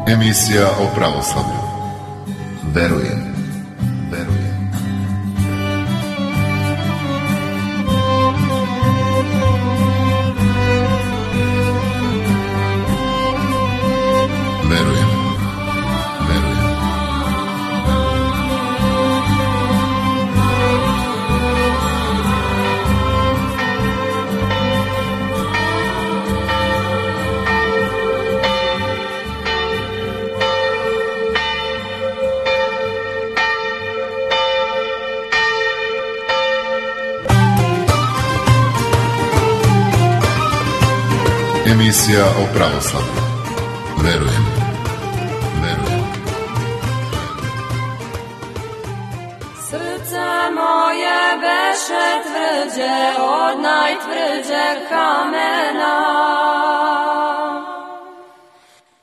Emisija o pravoslavlju. Verujem. Emisija o pravoslavlju. Verujem. Srce moje beše tvrđe od najtvrđeg kamena,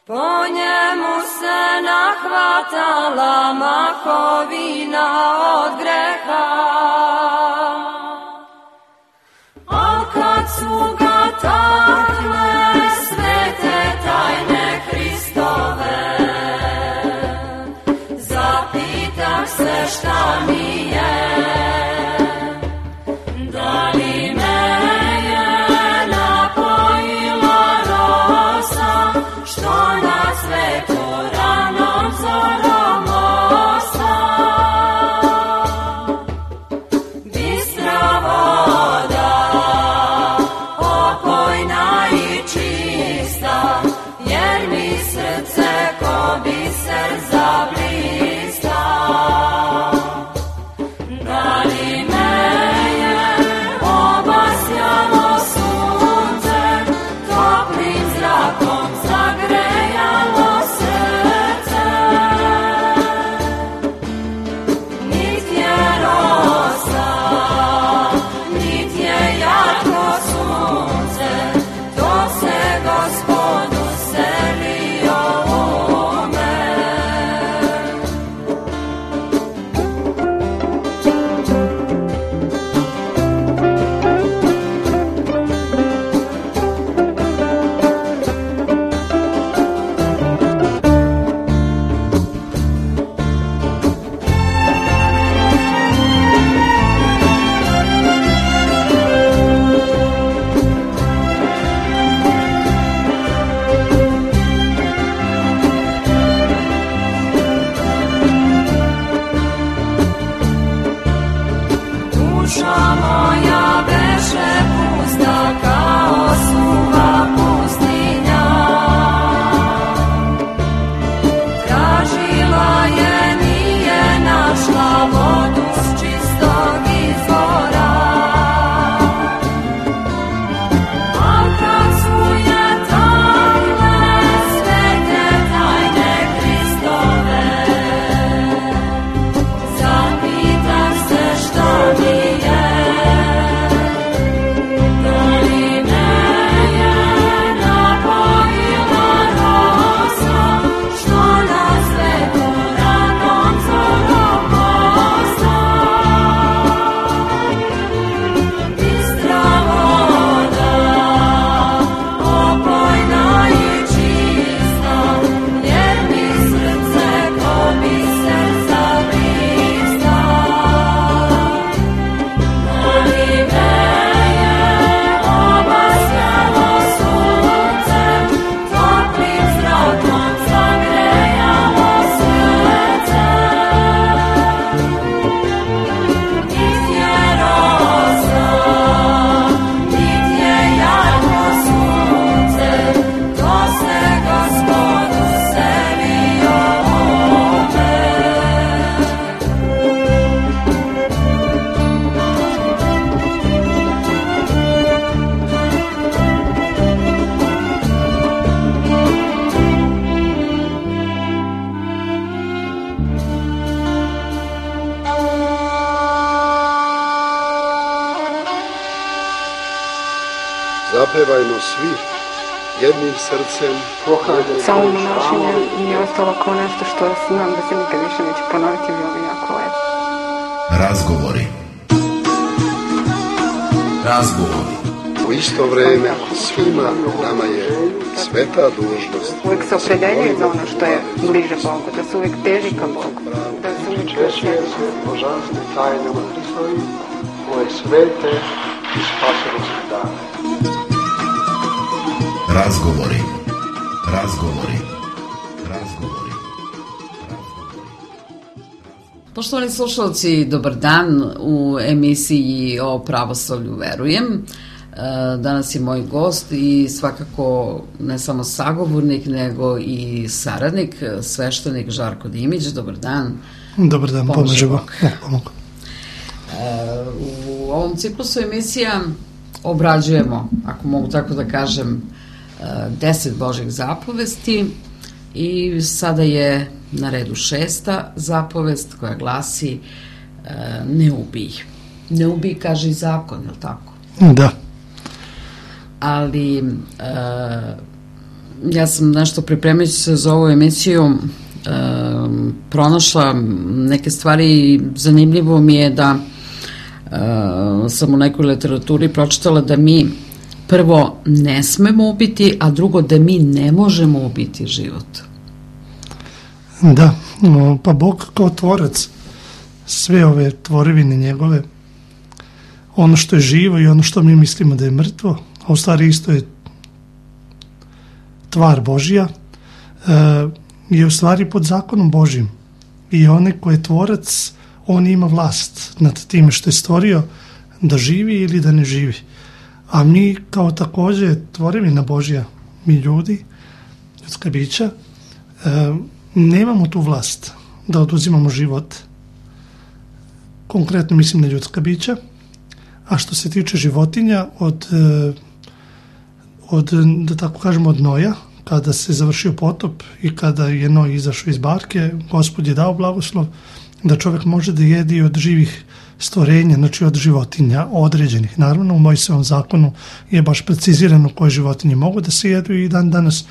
po njemu se nahvatala mahovina od greha. A kad su ga takle svete tajne Hristove, zapitah se šta mi je, da li me je napojila rosa, što na svetu ranom zorom osta. Bistra voda, opojna i čista, jer mi srce ko biser zablista. Da li me je obasjalo sunce, toplim zrakom zagrejalo srce. Nit je rosa, nit je jarko sunce, to se Gospodu selio u me. Duša moja beše pusta kao suva pustinja, tražila je, nije našla vodu s čistog izvora. A kad su je takle svete tajne Hristove, zapitah se šta mi je, da li me je napojila rosa, što na svetu ranom zorom osta. Bistra voda, opojna i čista, jer mi srce ko biser zablista. Da li me je obasjalo sunce, toplim zrakom zagrejalo srce. Nit je rosa, nit je jarko sunce, to se Gospodu selio u me. Zapevajmo svi jednim srcem. Samo donošenje mi je ostalo kao nešto što znam da se nikad više neće ponoviti, bilo bi jako lepo. Razgovori. U isto vreme svima nama je sveta dužnost. Uvijek se opredeljuje za ono što je bliže Bogu, da se uvijek teži ka Bogu. Da se uvijek Česuje se božanstve tajnama Hristovi, koje svete i spasonosne dane. Razgovori. Poštovani slušalci, dobar dan u emisiji o pravoslavlju verujem. Danas je moj gost i svakako ne samo sagovornik, nego i saradnik, sveštenik Žarko Dimić. Dobar dan. Dobar dan, pomaže Bog. U ovom ciklusu emisija obrađujemo, ako mogu tako da kažem, 10 Božjih zapovesti i sada je na redu 6. zapovest koja glasi ne ubij. Ne ubij, kaže i zakon, je li tako? Da. Ali ja sam nešto pripremajući se za ovu emisiju pronašla neke stvari i zanimljivo mi je da sam u nekoj literaturi pročitala da mi prvo ne smemo ubiti, a drugo da mi ne možemo ubiti život. Da, pa Bog kao tvorac, sve ove tvorevine njegove, ono što je živo i ono što mi mislimo da je mrtvo, a u stvari isto je tvar Božja, je u stvari pod zakonom Božjim. I onaj ko je tvorac, on ima vlast nad time što je stvorio da živi ili da ne živi. A mi kao također tvorevina Božja, mi ljudi, ljudska bića, nemamo tu vlast da oduzimamo život. Konkretno mislim na ljudska bića. A što se tiče životinja, da tako kažemo, od Noja, kada se završio potop i kada je Noj izašao iz barke, Gospod je dao blagoslov da čovjek može da jedi od živih stvorenja, znači od životinja određenih. Naravno, u Mojsijevom zakonu je baš precizirano koje životinje mogu da se jedu i dan danas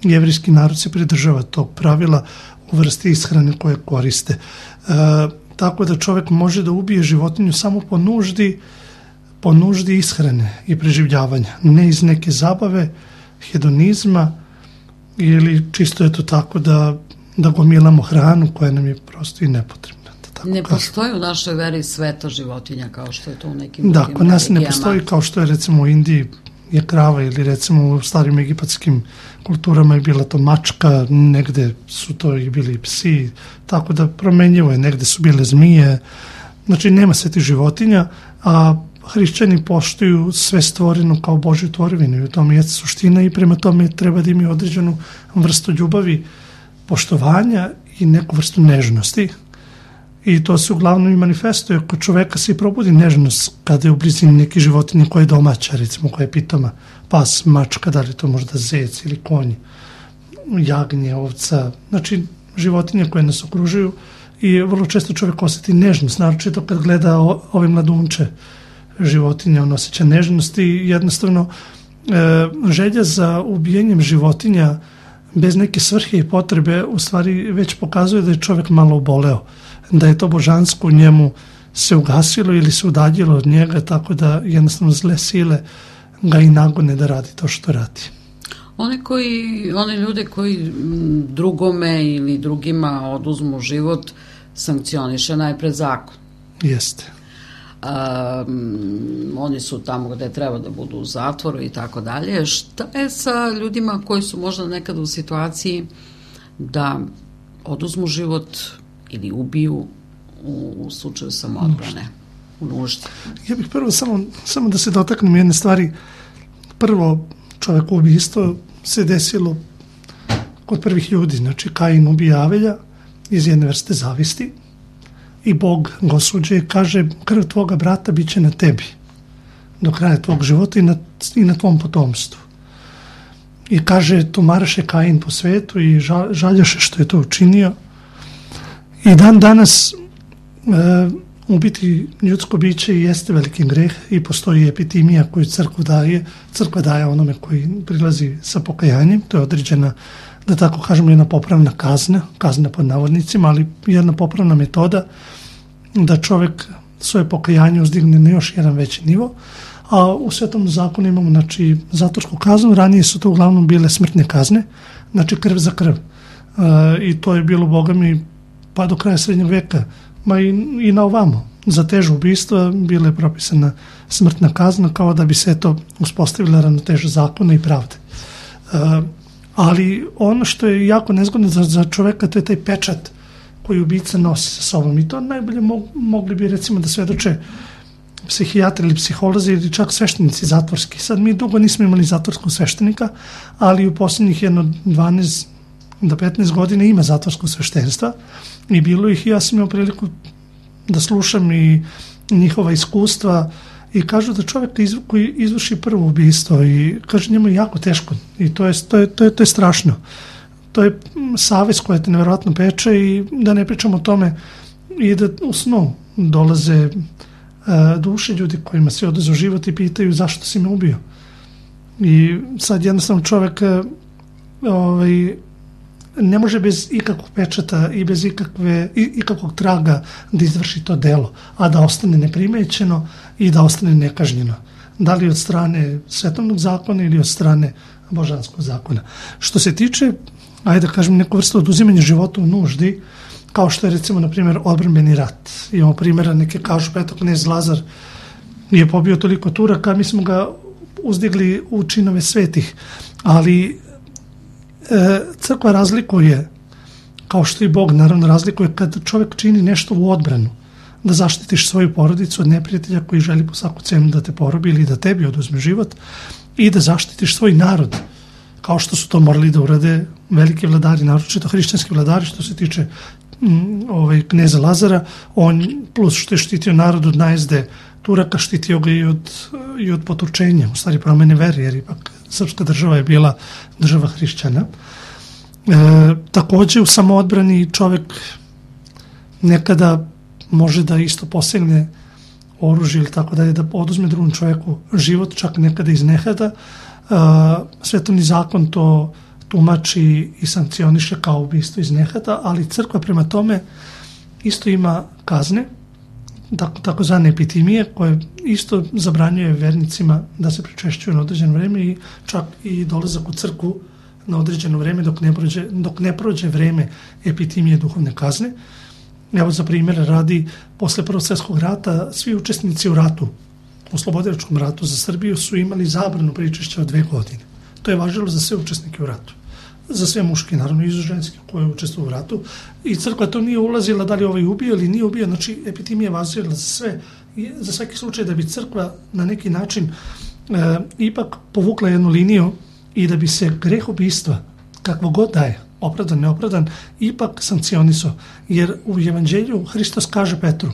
jevrijski narod se pridržava tog pravila u vrsti ishrane koje koriste. Tako da čovjek može da ubije životinju samo po nuždi ishrane i preživljavanja, ne iz neke zabave, hedonizma ili čisto je to tako da gomilamo hranu koja nam je prosto i nepotrebna. Ne postoji u našoj veri sveta životinja kao što je to u nekim da, drugim kod nas religijama. Ne postoji kao što je recimo u Indiji je krava ili recimo u starim egipatskim kulturama je bila to mačka, negde su to i bili psi, tako da promenjivo je, negde su bile zmije, znači nema svetih životinja, a hrišćani poštuju sve stvoreno kao Božju tvorevinu i u tome je suština i prema tome treba da imaju određenu vrstu ljubavi, poštovanja i neku vrstu nežnosti. I to se uglavnom i manifestuje. Kod čoveka se i probudi nežnost kada je u blizini neke životinje koja je domaća, recimo koja je pitoma, pas, mačka, da li to možda zec ili konj, jagnje, ovca, znači životinje koje nas okružuju i vrlo često čovjek osjeti nežnost, naročito kad gleda ove mladunče životinja, on osjeća nežnost i jednostavno želja za ubijenjem životinja bez neke svrhe i potrebe u stvari već pokazuje da je čovjek malo oboleo, da je to božansko u njemu se ugasilo ili se udaljilo od njega, tako da jednostavno zle sile ga i nagone da radi to što radi. One ljude koji drugome ili drugima oduzmu život sankcioniše najpred zakon. Jeste. Oni su tamo gde treba da budu u zatvoru i tako dalje. Šta je sa ljudima koji su možda nekad u situaciji da oduzmu život ili ubiju u slučaju samoodbrane, u nuždi? Ja bih prvo samo da se dotaknem jedne stvari. Prvo, čovjek ubistvo se desilo kod prvih ljudi, znači Kain ubija Avelja iz jedne vrste zavisti i Bog ga osuđuje i kaže krv tvoga brata bit će na tebi do kraja tvog života i na tvom potomstvu. I kaže, tumaraše Kain po svetu i žaljaše što je to učinio. I dan danas ubiti ljudsko biće jeste veliki greh i postoji epitimija koju crkva daje onome koji prilazi sa pokajanjem, to je određena, da tako kažemo, jedna popravna kazna pod navodnicima, ali jedna popravna metoda da čovjek svoje pokajanje uzdigne na još jedan veći nivo, a u Svetom zakonu imamo znači, zatvorsku kaznu, ranije su to uglavnom bile smrtne kazne, znači krv za krv. I to je bilo, Boga mi, pa do kraja srednjeg veka, ma i na ovamo. Za teže ubistva bila je propisana smrtna kazna kao da bi se to uspostavila ravnoteža zakona i pravde. Ali ono što je jako nezgodno za čoveka, to je taj pečat koji ubica nosi sa sobom. I to najbolje mogli bi recimo da svedoče psihijatri ili psiholozi ili čak sveštenici zatvorski. Sad mi dugo nismo imali zatvorskog sveštenika, ali u posljednjih 12 do 15 godina ima zatvorskog sveštenstva i bilo ih i ja sam imao priliku da slušam i njihova iskustva i kažu da čovjek koji izvrši prvo ubistvo i kaže njemu je jako teško i to je strašno. To je savest koja te nevjerojatno peče i da ne pričamo o tome i da u snu dolaze duše ljudi kojima se oduzeo život i pitaju zašto si me ubio. I sad jednostavno čovjek ne može bez ikakvog pečata i bez ikakvog traga da izvrši to delo, a da ostane neprimećeno i da ostane nekažnjeno. Da li od strane svetovnog zakona ili od strane božanskog zakona. Što se tiče, ajde da kažem, neku vrstu oduzimanja života u nuždi, kao što je recimo, na primjer, odbrambeni rat. Imamo primjera, neke kažu, pa eto, knez Lazar je pobio toliko Turaka, mi smo ga uzdigli u činove svetih, ali crkva razlikuje, kao što i Bog naravno razlikuje, kad čovjek čini nešto u odbranu, da zaštitiš svoju porodicu od neprijatelja koji želi po svaku cenu da te porobi ili da tebi oduzme život i da zaštitiš svoj narod, kao što su to morali da urade veliki vladari, naročito hrišćanski vladari, što se tiče kneza Lazara, on plus što je štitio narod od najezde Turaka, štitio ga i od potučenja, u stvari promene vere, jer ipak srpska država je bila država hrišćana. Također u samoodbrani čovjek nekada može da isto posegne oružje ili tako dalje, da oduzme drugom čovjeku život, čak nekada iz nehata. Svetovni zakon to tumači i sankcioniše kao ubistvo iz nehata, ali crkva prema tome isto ima kazne, takozvane epitimije, koje isto zabranjuje vernicima da se pričešćuju na određeno vrijeme i čak i dolazak u crkvu na određeno vrijeme dok ne prođe vrijeme epitimije duhovne kazne. Evo za primjer radi, posle Prvog svjetskog rata svi učesnici u ratu, u Slobodilačkom ratu za Srbiju su imali zabranu pričešća od 2 godine. To je važilo za sve učesnike u ratu. Za sve muške, naravno i za ženske koje učestvuju u ratu. I crkva to nije ulazila da li ovaj ubio ili nije ubio, znači epitimija važila za sve, za svaki slučaj da bi crkva na neki način ipak povukla jednu liniju i da bi se greh ubistva, kakvo god da je, opravdan, neopravdan, ipak sankcionisao. Jer u Evanđelju Hristos kaže Petru,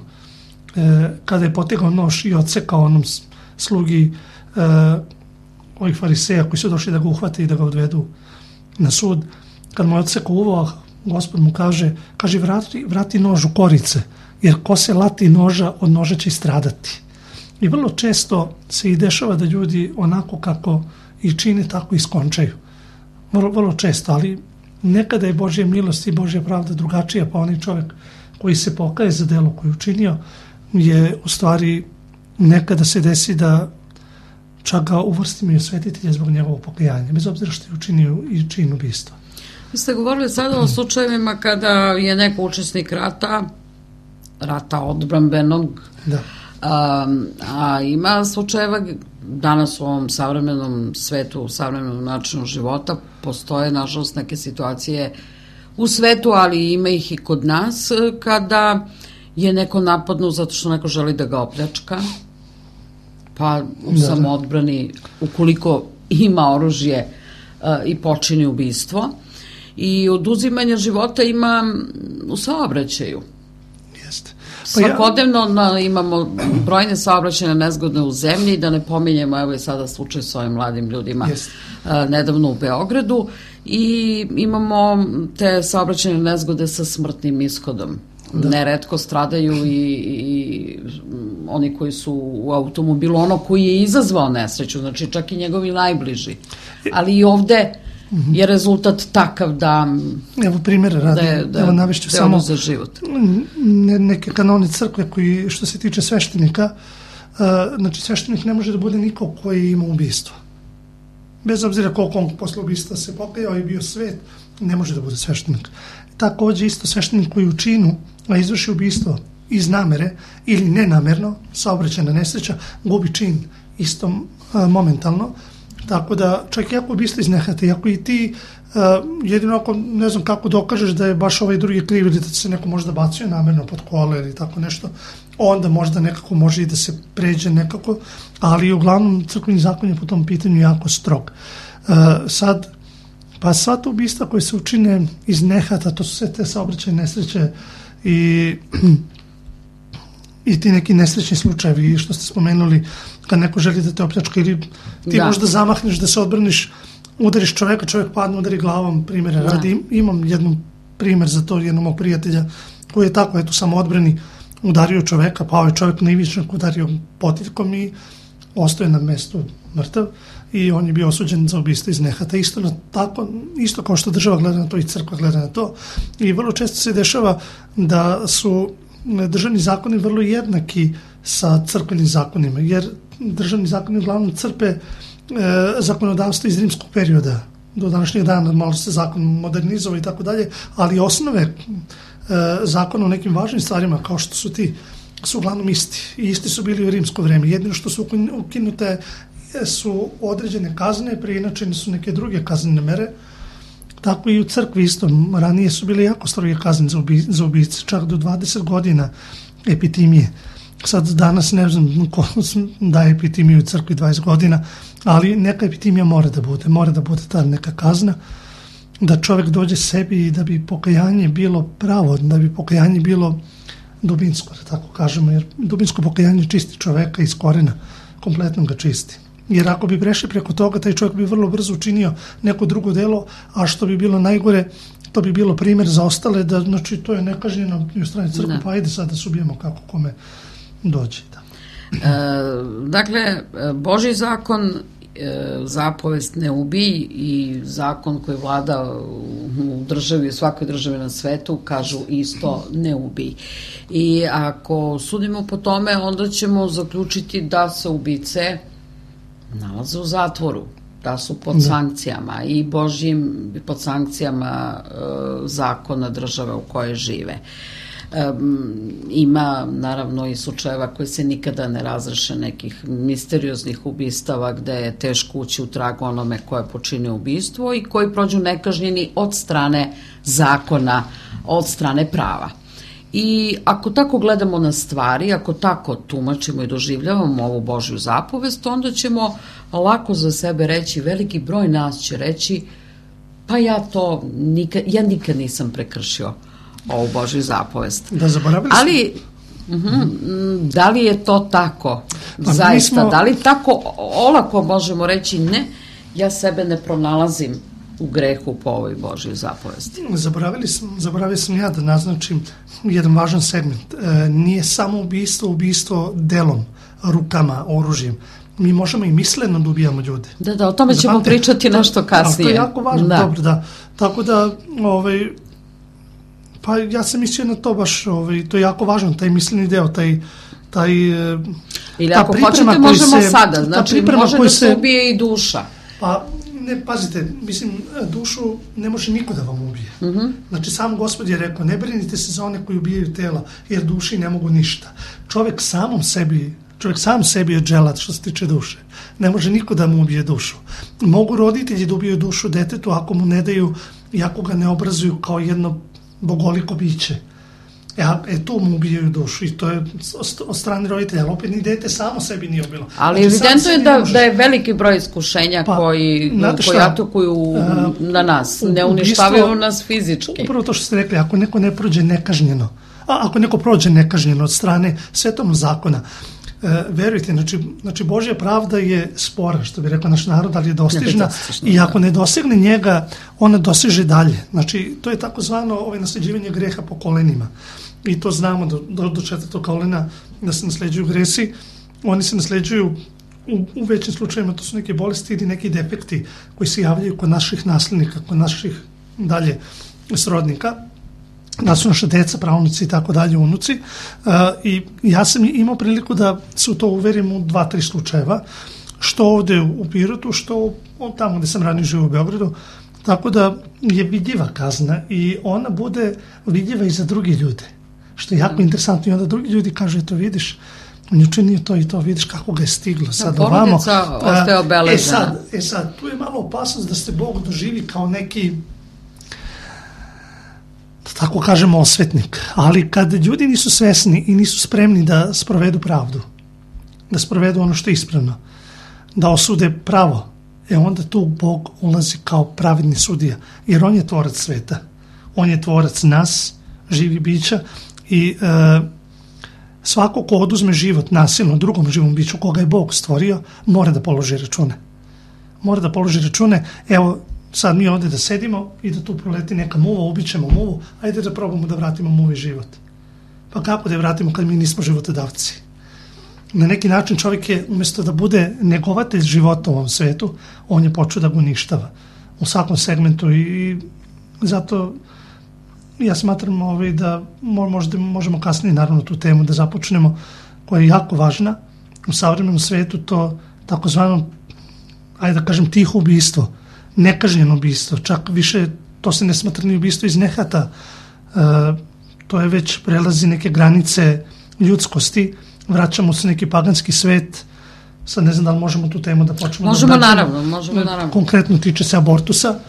kada je potegao nož i odsekao onom slugi ovih fariseja koji su došli da ga uhvate i da ga odvedu na sud, kad mu je odsekao uvo, Gospod mu kaže vrati nož u korice, jer ko se lati noža, od noža će i stradati. I vrlo često se i dešava da ljudi onako kako i čine, tako i skončaju. Vrlo često, ali nekada je Božja milost i Božja pravda drugačija, pa onaj čovjek koji se pokaje za delo koje je učinio, je u stvari nekada se desi da čak ga uvrstimo i osvetitelja zbog njegovog pokajanja, bez obzira što je učinio i čin ubistva. Vi ste govorili sada o slučajevima kada je neko učesnik rata odbrambenog, da. A ima slučajeva danas u ovom savremenom svetu, u savremenom načinu života, postoje nažalost neke situacije u svetu, ali ima ih i kod nas, kada je neko napadnu zato što neko želi da ga opljačka, pa u samoodbrani, ukoliko ima oružje i počini ubistvo. I oduzimanja života ima u saobraćaju. Jeste. Svakodnevno imamo brojne saobraćajne nezgode u zemlji, da ne pominjemo, evo je sada slučaj s ovim mladim ljudima nedavno u Beogradu, i imamo te saobraćajne nezgode sa smrtnim ishodom. Neretko stradaju i oni koji su u automobilu, ono koji je izazvao nesreću, znači čak i njegovi najbliži. Ali i ovde je rezultat takav da evo primjer radi, evo navešću samo život. Neke kanone crkve koji, što se tiče sveštenika, znači sveštenik ne može da bude niko koji ima ubistvo. Bez obzira koliko on posle ubistva se pokajao i bio svet, ne može da bude sveštenik. Takođe isto sveštenik koji u činu izvrši ubistvo iz namere ili nenamerno, saobraćajna nesreća, gubi čin isto momentalno. Tako da čak i ako ubistvo iz nehata, i ako i ti jedino ako ne znam kako dokažeš da je baš ovaj drugi kriv ili da se neko možda bacio namerno pod kola ili tako nešto, onda možda nekako može i da se pređe nekako, ali uglavnom crkveni zakon je po tom pitanju jako strog. Sad, pa sva ta ubistva koje se učine iz nehata, to su sve te saobraćajne nesreće i ti neki nesrećni slučajevi što ste spomenuli, kad neko želi da te opljačka ili ti možda zamahneš da se odbraniš, udariš čoveka, čovjek padne, udari glavom, primjera radi. Imam jedan primjer za to, jednog mog prijatelja koji je tako, eto, samo odbrani, udario čoveka, pao je čovjek na ivičnik, udario potiljkom i ostaje na mestu mrtav i on je bio osuđen za ubistvo iz nehata. Isto kao što država gleda na to i crkva gleda na to. I vrlo često se dešava da su državni zakoni vrlo jednaki sa crkvenim zakonima, jer državni zakoni uglavnom crpe zakonodavstvo iz rimskog perioda. Do današnjeg dana malo se zakon modernizovao i tako dalje, ali osnove zakona o nekim važnim stvarima kao što su ti su uglavnom isti. I isti su bili u rimsko vreme. Jedino što su ukinute su određene kazne, preinačene su neke druge kaznene mere. Tako i u crkvi isto. Ranije su bile jako stroge kazne za ubice, čak do 20 godina epitimije. Sad danas ne znam ko daje epitimiju u crkvi 20 godina, ali neka epitimija mora da bude ta neka kazna, da čovjek dođe sebi i da bi pokajanje bilo pravo, da bi pokajanje bilo dubinsko, da tako kažemo, jer dubinsko pokajanje čisti čoveka iz korena, kompletno ga čisti. Jer ako bi prešli preko toga, taj čovjek bi vrlo brzo učinio neko drugo delo, a što bi bilo najgore, to bi bilo primjer za ostale, da znači to je nekažnjeno i u strani crkve, pa ajde sad da se ubijemo kako kome dođe. Da. Dakle, Božji zakon, zapovest ne ubij i zakon koji vlada u državi, u svakoj državi na svetu, kažu isto ne ubij. I ako sudimo po tome, onda ćemo zaključiti da se ubice nalaze u zatvoru, da su pod sankcijama i Božjim, pod sankcijama zakona države u kojoj žive. Ima naravno i slučajeva koji se nikada ne razreše, nekih misterioznih ubistava gde je teško ući u trag onome ko je počinio ubistvo i koji prođu nekažnjeni od strane zakona, od strane prava. I ako tako gledamo na stvari, ako tako tumačimo i doživljavamo ovu Božju zapovest, onda ćemo lako za sebe reći, veliki broj nas će reći, pa ja nikad nisam prekršio ovu Božju zapovest. Da, zaboravili smo. Ali, da li je to tako? Zaista, da li tako olako možemo reći ne, ja sebe ne pronalazim u grehu po ovoj Božjoj zapovesti? Zaboravio sam ja da naznačim jedan važan segment. Nije samo ubistvo delom, rukama, oružjem. Mi možemo i misleno da ubijamo ljude. Da, o tome ćemo pričati nešto kasnije. To je jako važno, dobro, da. Tako da, pa ja sam mislio na to baš, to je jako važno, taj misleni deo, ili ako hoćete možemo sada, znači može da se ubije i duša. Pa, ne, pazite, mislim, dušu ne može niko da vam ubije. Znači, sam Gospod je rekao, ne brinite se za one koji ubijaju tela, jer duši ne mogu ništa. Čovjek sam sebi je dželat što se tiče duše. Ne može niko da mu ubije dušu. Mogu roditelji da ubiju dušu detetu ako mu ne daju i ako ga ne obrazuju kao jedno bogoliko biće. Tu mu ubijaju dušu i to je od strane roditelja, ali opet ni dete samo sebi nije ubilo. Ali znači, evidentno je da je veliki broj iskušenja koji atakuju na nas, ne uništavaju nas fizički. Upravo to što ste rekli, ako neko ne prođe nekažnjeno, ako neko prođe nekažnjeno od strane svetovnog zakona, verujte, znači Božja pravda je spora, što bi rekao naš narod, ali je dostižna i ako ne dosegne njega, ona doseže dalje. Znači, to je takozvano nasljeđivanje greha po kolenima. I to znamo do 4. kolena da se nasljeđuju gresi. Oni se nasljeđuju u većim slučajima, to su neke bolesti ili neki defekti koji se javljaju kod naših nasljednika, kod naših dalje srodnika. da su naše deca, pravnuci i tako dalje, unuci. I ja sam imao priliku da se u to uverim u 2-3 slučajeva, što ovde u Pirotu, što tamo gde sam ranije živio u Beogradu, tako da je vidljiva kazna i ona bude vidljiva i za drugi ljude, što je jako interesantno. I onda drugi ljudi kažu, eto vidiš, on je učinio to i to, vidiš kako ga je stiglo sad ovamo. Porodica ostaje obeležena. Sad, tu je malo opasnost da se Bog doživi kao neki, tako kažemo, osvetnik. Ali kad ljudi nisu svesni i nisu spremni da sprovedu pravdu, da sprovedu ono što je ispravno, da osude pravo, onda tu Bog ulazi kao pravedni sudija, jer on je tvorac sveta, on je tvorac nas, živi bića, i svako ko oduzme život nasilno drugom živom biću koga je Bog stvorio, mora da položi račune. Mora da položi račune. Evo, sad mi ovde da sedimo i da tu proleti neka muva, ubićemo muvu, ajde da probamo da vratimo muvi život. Pa kako da je vratimo kad mi nismo životodavci? Na neki način čovjek je, umjesto da bude negovatelj života u ovom svetu, on je počeo da ga uništava u svakom segmentu, i zato ja smatram da možda možemo kasnije naravno tu temu da započnemo, koja je jako važna u savremenom svetu, to takozvano, ajde da kažem, tiho ubistvo, nekažnjeno ubistvo, čak više to se ne smatra ni ubistvo iz nehata, to je već prelazi neke granice ljudskosti, vraćamo se neki paganski svet. Sad ne znam da li možemo tu temu da počnemo. Možemo naravno. Konkretno tiče se abortusa.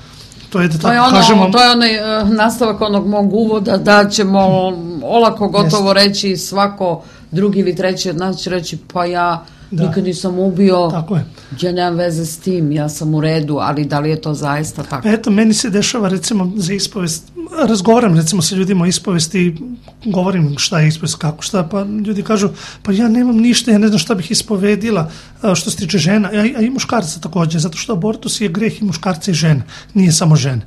To je da tako kažemo. To je onaj nastavak onog mog uvoda, da ćemo olako gotovo reći, svako drugi ili treći od nas će reći, pa ja nikad nisam ubio, ja nemam veze s tim, ja sam u redu, ali da li je to zaista tako? Eto, meni se dešava recimo za ispovest, razgovaram recimo sa ljudima o ispovesti, govorim šta je ispovest, kako šta, pa ljudi kažu, pa ja nemam ništa, ja ne znam šta bih ispovedila što se tiče žena, a i muškarca također, zato što abortus je greh i muškarca i žena, nije samo žena.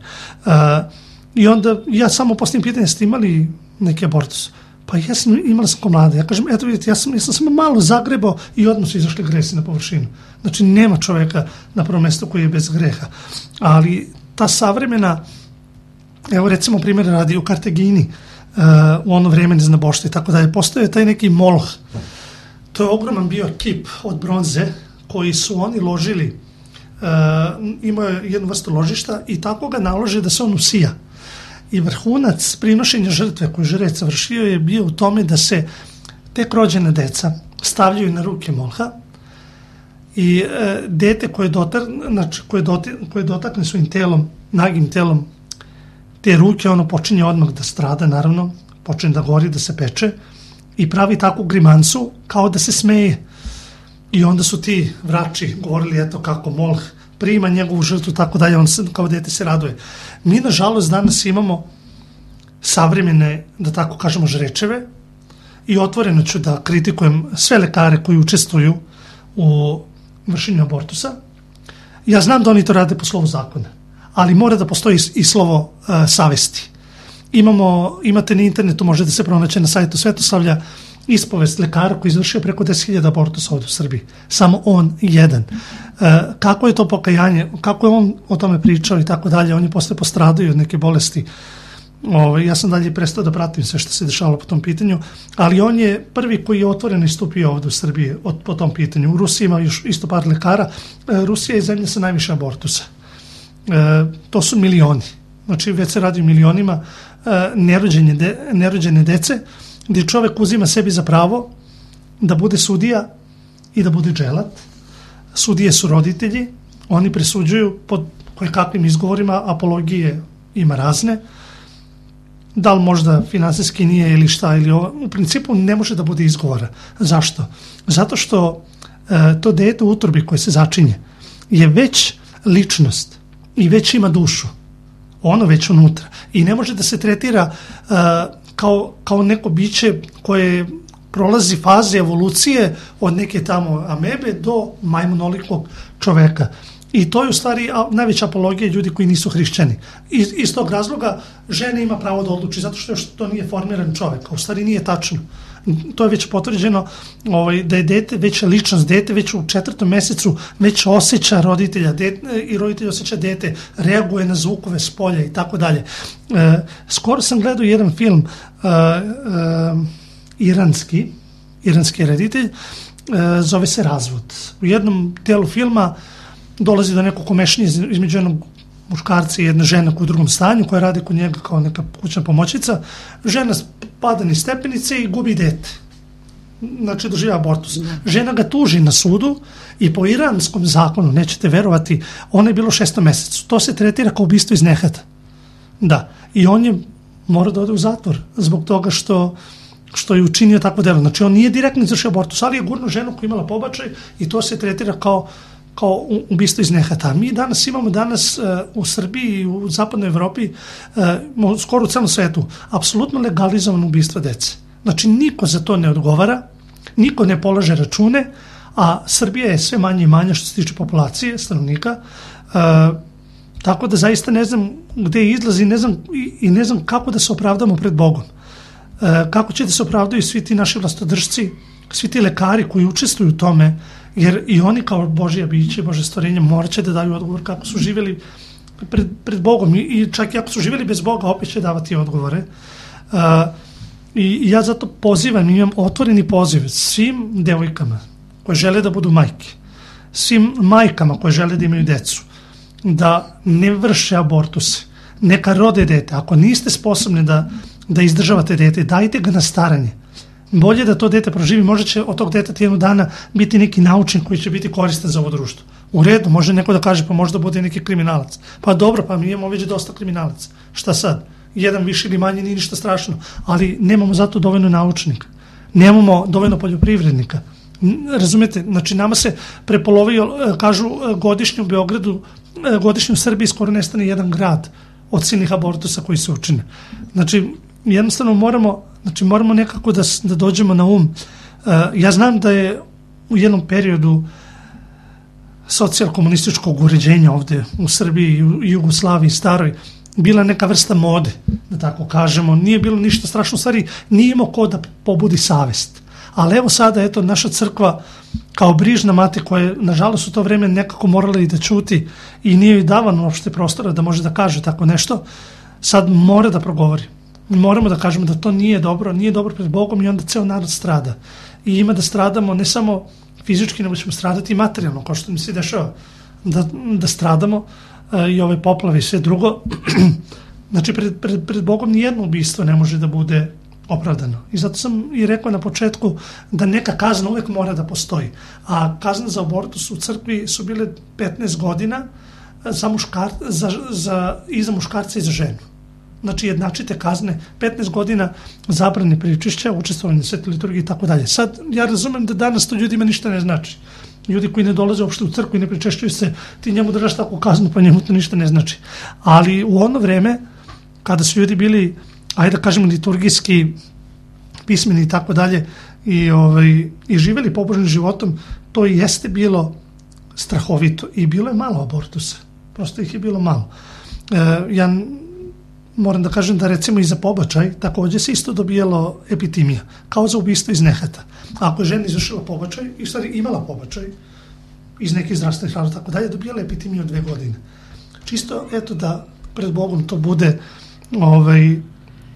I onda ja samo postavim pitanje, ste imali neki abortus? Pa ja sam imala ko mlada. Ja kažem, eto vidite, ja sam samo malo zagrebao i odmah su izašli gresi na površinu. Znači, nema čoveka na prvom mjestu koji je bez greha. Ali ta savremena, evo recimo primjer radi u Kartagini, u ono vreme neznaboštva i tako dalje, postoje taj neki moloh. To je ogroman bio kip od bronze koji su oni ložili, imao je jednu vrstu ložišta i tako ga nalože da se on usija. I vrhunac prinošenja žrtve koju žrec vršio je bio u tome da se tek rođena deca stavljaju na ruke molha i dete koje dotakne svojim telom, nagim telom, te ruke, ono počinje odmah da strada, naravno, počinje da gori, da se peče i pravi takvu grimansu kao da se smeje. I onda su ti vrači govorili, eto kako molh prima njegovu žrtvu, tako dalje, on kao dete se raduje. Mi, nažalost, danas imamo savremene, da tako kažemo, žrečeve, i otvoreno ću da kritikujem sve lekare koji učestvuju u vršenju abortusa. Ja znam da oni to rade po slovu zakona, ali mora da postoji i slovo savesti. Imate na internetu, može da se pronaće na sajtu Svetosavlja, ispovest lekara koji izvršio preko 10.000 abortusa ovdje u Srbiji. Samo on jedan. Kako je to pokajanje, kako je on o tome pričao i tako dalje, on je posle postradao od neke bolesti. Ja sam dalje prestao da pratim sve što se dešavalo po tom pitanju, ali on je prvi koji je otvoreno istupio ovdje u Srbiji po tom pitanju. U Rusiji ima još isto par lekara. Rusija je zemlja sa najviše abortusa. To su milioni. Znači već se radi o milionima nerođene dece, gdje čovjek uzima sebi za pravo da bude sudija i da bude dželat. Sudije su roditelji, oni presuđuju pod kojekakvim izgovorima, apologije ima razne, da li možda finansijski nije ili šta, ili ovo, u principu ne može da bude izgovora. Zašto? Zato što to dete u utrobi koje se začinje je već ličnost i već ima dušu, ono već unutra, i ne može da se tretira kao neko biće koje prolazi faze evolucije od neke tamo amebe do majmunolikog čoveka. I to je u stvari najveća apologija ljudi koji nisu hrišćani. Iz tog razloga žena ima pravo da odluči, zato što još to nije formiran čovjek, a u stvari nije tačno. To je već potvrđeno da je dete, već ličnost dete, već u 4. mesecu već osjeća roditelja i roditelj osjeća dete, reaguje na zvukove s polja i tako dalje. Skoro sam gledao jedan film iranski reditelj, zove se Razvod. U jednom dijelu filma dolazi do nekog komešanja između jednog muškarca i jedne žene koja u drugom stanju, koja radi kod njega kao neka kućna pomoćnica. Žena pada niz stepenice i gubi dete. Znači doživlja abortus. Žena ga tuži na sudu i po iranskom zakonu, nećete verovati, ona je bilo u 6. mesecu. To se tretira kao ubistvo iz nehata. Da. I on je mora da ode u zatvor zbog toga što je učinio takvo delo. Znači on nije direktno izvršio abortus, ali je gurnuo ženu koja je imala pobačaj i to se tretira kao ubistvo iz nehata. Mi imamo u Srbiji i u zapadnoj Evropi, skoro u celom svetu, apsolutno legalizovano ubistvo dece. Znači niko za to ne odgovara, niko ne polaže račune, a Srbija je sve manje i manje što se tiče populacije, stanovnika, tako da zaista ne znam gde izlazi i ne znam kako da se opravdamo pred Bogom. Kako će da se opravdaju svi ti naši vlastodržci, svi ti lekari koji učestvuju u tome, jer i oni kao Božja biće, Božje stvorenje morat će da daju odgovor kako su živjeli pred Bogom i čak i ako su živjeli bez Boga opet će davati odgovore. I ja zato pozivam, imam otvoreni poziv svim devojkama koje žele da budu majke, svim majkama koje žele da imaju decu, da ne vrše abortuse, neka rode dete. Ako niste sposobni da izdržavate dete, dajte ga na staranje. Bolje da to dete proživi, možda će od tog deteta jednog dana biti neki naučnik koji će biti koristan za ovo društvo. U redu, može neko da kaže pa možda bude neki kriminalac. Pa dobro, pa mi imamo već dosta kriminalaca. Šta sad? Jedan više ili manje nije ništa strašno, ali nemamo zato dovoljno naučnika. Nemamo dovoljno poljoprivrednika. Razumete? Znači nama se prepolovio, kažu godišnje u Beogradu, godišnje u Srbiji skoro nestane jedan grad od silnih abortusa koji se učine. Znači jednostavno moramo nekako da dođemo na um. Ja znam da je u jednom periodu socijal-komunističkog uređenja ovde u Srbiji i Jugoslaviji staroj bila neka vrsta mode, da tako kažemo. Nije bilo ništa strašno, u stvari nije imao ko da pobudi savest. Ali evo sada, eto, naša crkva kao brižna mati koja je, nažalost, u to vreme nekako morala i da ćuti i nije joj davano uopšte prostora da može da kaže tako nešto, sad mora da progovori. Moramo da kažemo da to nije dobro pred Bogom i onda ceo narod strada. I ima da stradamo ne samo fizički, nego ćemo stradati i materijalno, kao što mi se dešava, da stradamo i ove poplave i sve drugo. Znači, pred Bogom nijedno ubistvo ne može da bude opravdano. I zato sam i rekao na početku da neka kazna uvek mora da postoji. A kazna za abortus u crkvi su bile 15 godina i za muškarca i za ženu. Znači jednačite kazne, 15 godina zabrane pričešća, učestvovanje na svetoj liturgiji i tako dalje. Sad, ja razumem da danas to ljudima ništa ne znači. Ljudi koji ne dolaze uopšte u crkvu i ne pričešćuju se, ti njemu držaš takvu kaznu, pa njemu to ništa ne znači. Ali u ono vreme, kada su ljudi bili, ajde da kažemo, liturgijski pismeni i tako dalje, i živeli pobožnim životom, to i jeste bilo strahovito i bilo je malo abortusa. Prosto ih je bilo malo. Ja moram da kažem da recimo i za pobačaj takođe se isto dobijalo epitimija, kao za ubistvo iz nehata. Ako je žena izvršila pobačaj i stvari imala pobačaj iz nekih zdravstvenih razloga tako dalje, dobijala epitimiju od 2 godine. Čisto eto da pred Bogom to bude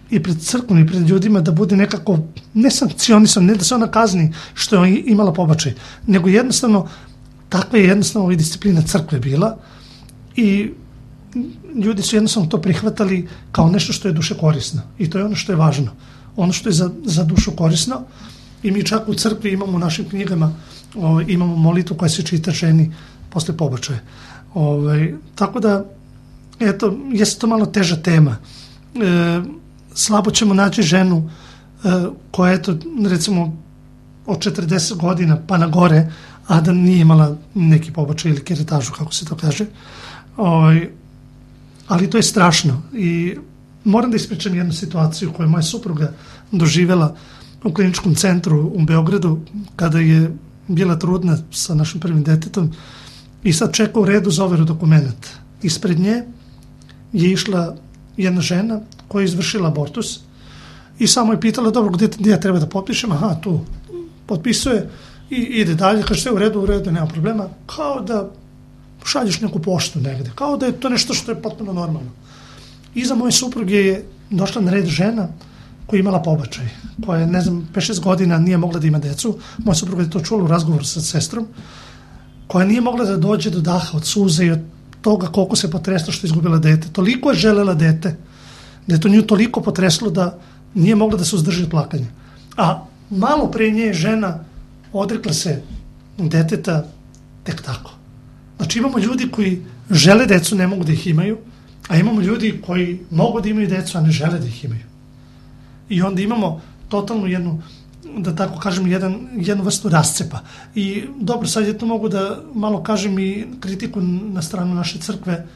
i pred crkvom i pred ljudima da bude nekako ne sankcionisan, ne da se ona kazni što je imala pobačaj, nego jednostavno takva je jednostavno disciplina crkve bila i ljudi su jednostavno to prihvatali kao nešto što je duše korisno i to je ono što je važno, ono što je za dušu korisno. I mi čak u crkvi imamo u našim knjigama imamo molitvu koja se čita ženi posle pobačaja. Tako da eto, jeste to malo teža tema. Slabo ćemo naći ženu koja eto recimo od 40 godina pa na gore, a da nije imala neki pobačaj ili keretažu, kako se to kaže. Ali to je strašno i moram da ispričam jednu situaciju koju je moja supruga doživjela u kliničkom centru u Beogradu kada je bila trudna sa našim prvim detetom i sad čeka u redu za overu dokumenta. Ispred nje je išla jedna žena koja je izvršila abortus i samo je pitala, dobro, gdje ja treba da potpišem? Aha, tu potpisuje i ide dalje, kaže sve u redu, nema problema, kao da šalješ neku poštu negde, kao da je to nešto što je potpuno normalno. Iza moje supruge je došla na red žena koja je imala pobačaj, koja je, 5-6 godina nije mogla da ima decu, moja supruga je to čula u razgovoru sa sestrom, koja nije mogla da dođe do daha od suze i od toga koliko se potresla što je izgubila dete. Toliko je želela dete, da je to nju toliko potreslo da nije mogla da se uzdrži od plakanja. A malo pre nje je žena odrekla se deteta tek tako. Znači imamo ljudi koji žele decu, ne mogu da ih imaju, a imamo ljudi koji mogu da imaju decu, a ne žele da ih imaju. I onda imamo totalno jednu, da tako kažem, jednu vrstu rascepa. I dobro, sad je to mogu da malo kažem i kritiku na stranu naše crkve,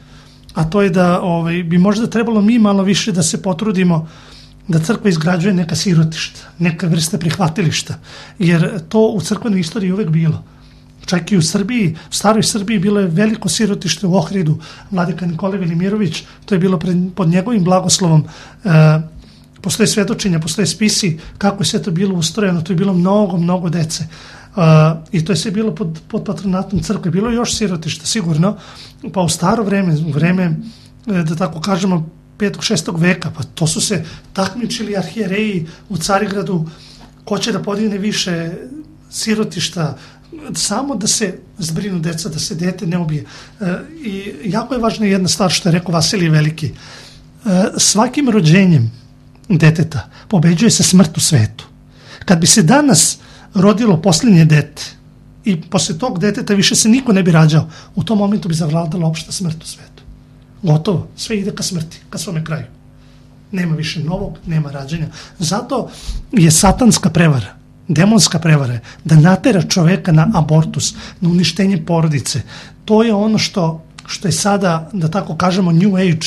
a to je da bi možda trebalo mi malo više da se potrudimo da crkva izgrađuje neka sirotišta, neka vrsta prihvatilišta, jer to u crkvenoj istoriji uvek bilo. Čak i u Srbiji, u staroj Srbiji bilo je veliko sirotište u Ohridu, vladika Nikolaj Velimirović, to je bilo pod njegovim blagoslovom, postoje svedočenja, postoje spisi kako je sve to bilo ustrojeno, to je bilo mnogo dece. I to je sve bilo pod patronatom crkve. Bilo je još sirotišta, sigurno, pa u staro vreme, u vreme, da tako kažemo, 5. 6. veka, pa to su se takmičili arhijereji u Carigradu, ko će da podigne više sirotišta, samo da se zbrinu deca, da se dete ne ubije. I jako je važna jedna stvar što je rekao Vasilije Veliki. Svakim rođenjem deteta pobeđuje se smrt u svetu. Kad bi se danas rodilo posljednje dete i posle tog deteta više se niko ne bi rađao, u tom momentu bi zavladala opšta smrt u svetu. Gotovo, sve ide ka smrti, ka svome kraju. Nema više novog, nema rađanja. Zato je satanska prevara, demonska prevara, da natera čoveka na abortus, na uništenje porodice. To je ono što je sada, da tako kažemo, New Age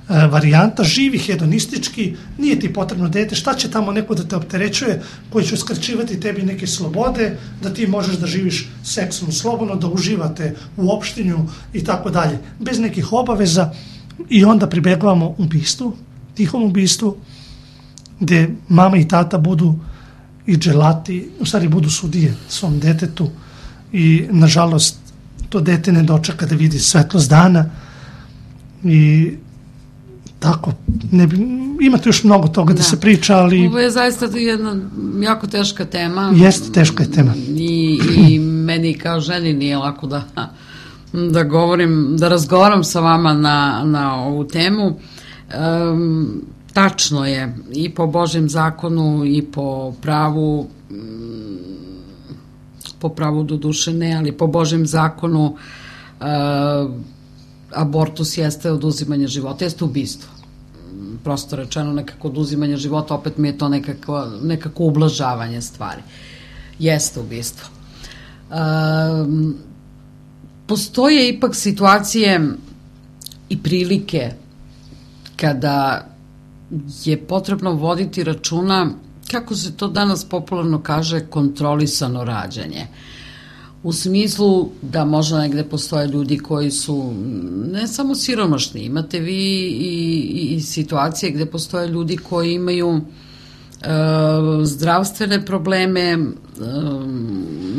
varijanta, živi hedonistički, nije ti potrebno dete, šta će tamo neko da te opterećuje, koji će uskraćivati tebi neke slobode, da ti možeš da živiš seksom slobodno, da uživate u opštinju i tako dalje, bez nekih obaveza. I onda pribegavamo ubistvu, tihom ubistvu, gde mama i tata budu i dželati, u stvari budu sudije svom detetu i nažalost to dete ne dočeka da vidi svetlost dana i tako, imate još mnogo toga da se priča, ali... Ovo je zaista jedna jako teška tema. Jeste, teška je tema. I meni kao ženi nije lako da govorim, da razgovaram sa vama na ovu temu. Tačno je, i po Božjem zakonu i po pravu do duše ne, ali po Božjem zakonu abortus jeste oduzimanje života, jeste ubistvo. Prosto rečeno, nekako oduzimanje života, opet mi je to nekako ublažavanje stvari. Jeste ubistvo. Postoje ipak situacije i prilike kada je potrebno voditi računa, kako se to danas popularno kaže, kontrolisano rađanje. U smislu da možda negde postoje ljudi koji su ne samo siromašni, imate vi i situacije gde postoje ljudi koji imaju zdravstvene probleme,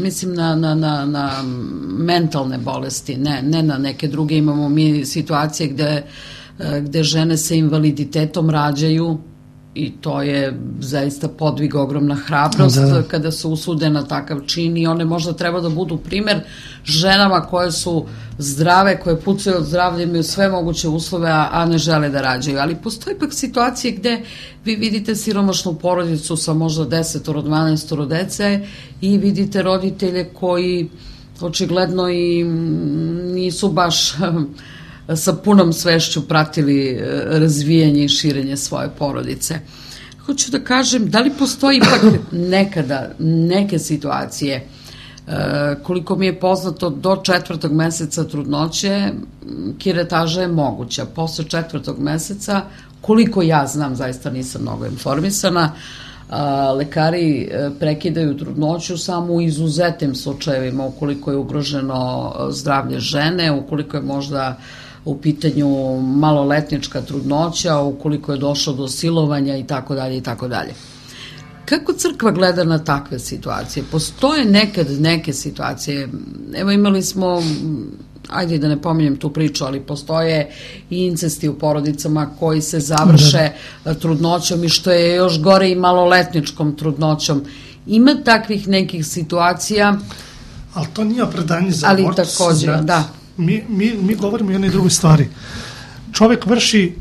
mislim na mentalne bolesti, ne na neke druge. Imamo mi situacije gde žene sa invaliditetom rađaju i to je zaista podvig, ogromna hrabrost kada se usude na takav čin i one možda treba da budu primer ženama koje su zdrave, koje pucaju od zdravlja, imaju sve moguće uslove, a ne žele da rađaju. Ali postoji ipak situacije gde vi vidite siromašnu porodicu sa možda 10-12 dece i vidite roditelje koji očigledno i nisu baš sa punom svešću pratili razvijanje i širenje svoje porodice. Hoću da kažem, da li postoji ipak nekada neke situacije, koliko mi je poznato, do 4. meseca trudnoće kiretaža je moguća. Posle 4. meseca, koliko ja znam, zaista nisam mnogo informisana, lekari prekidaju trudnoću samo u izuzetnim slučajevima, ukoliko je ugroženo zdravlje žene, ukoliko je možda u pitanju maloletnička trudnoća, ukoliko je došlo do silovanja i tako dalje i tako dalje. Kako crkva gleda na takve situacije? Postoje nekad neke situacije, evo imali smo, ajde da ne pominjem tu priču, ali postoje i incesti u porodicama koji se završe trudnoćom i što je još gore i maloletničkom trudnoćom. Ima takvih nekih situacija. Ali to nije opravdanje za ali abortus. Također, da. Mi govorimo i o jednoj drugoj stvari. Čovjek vrši,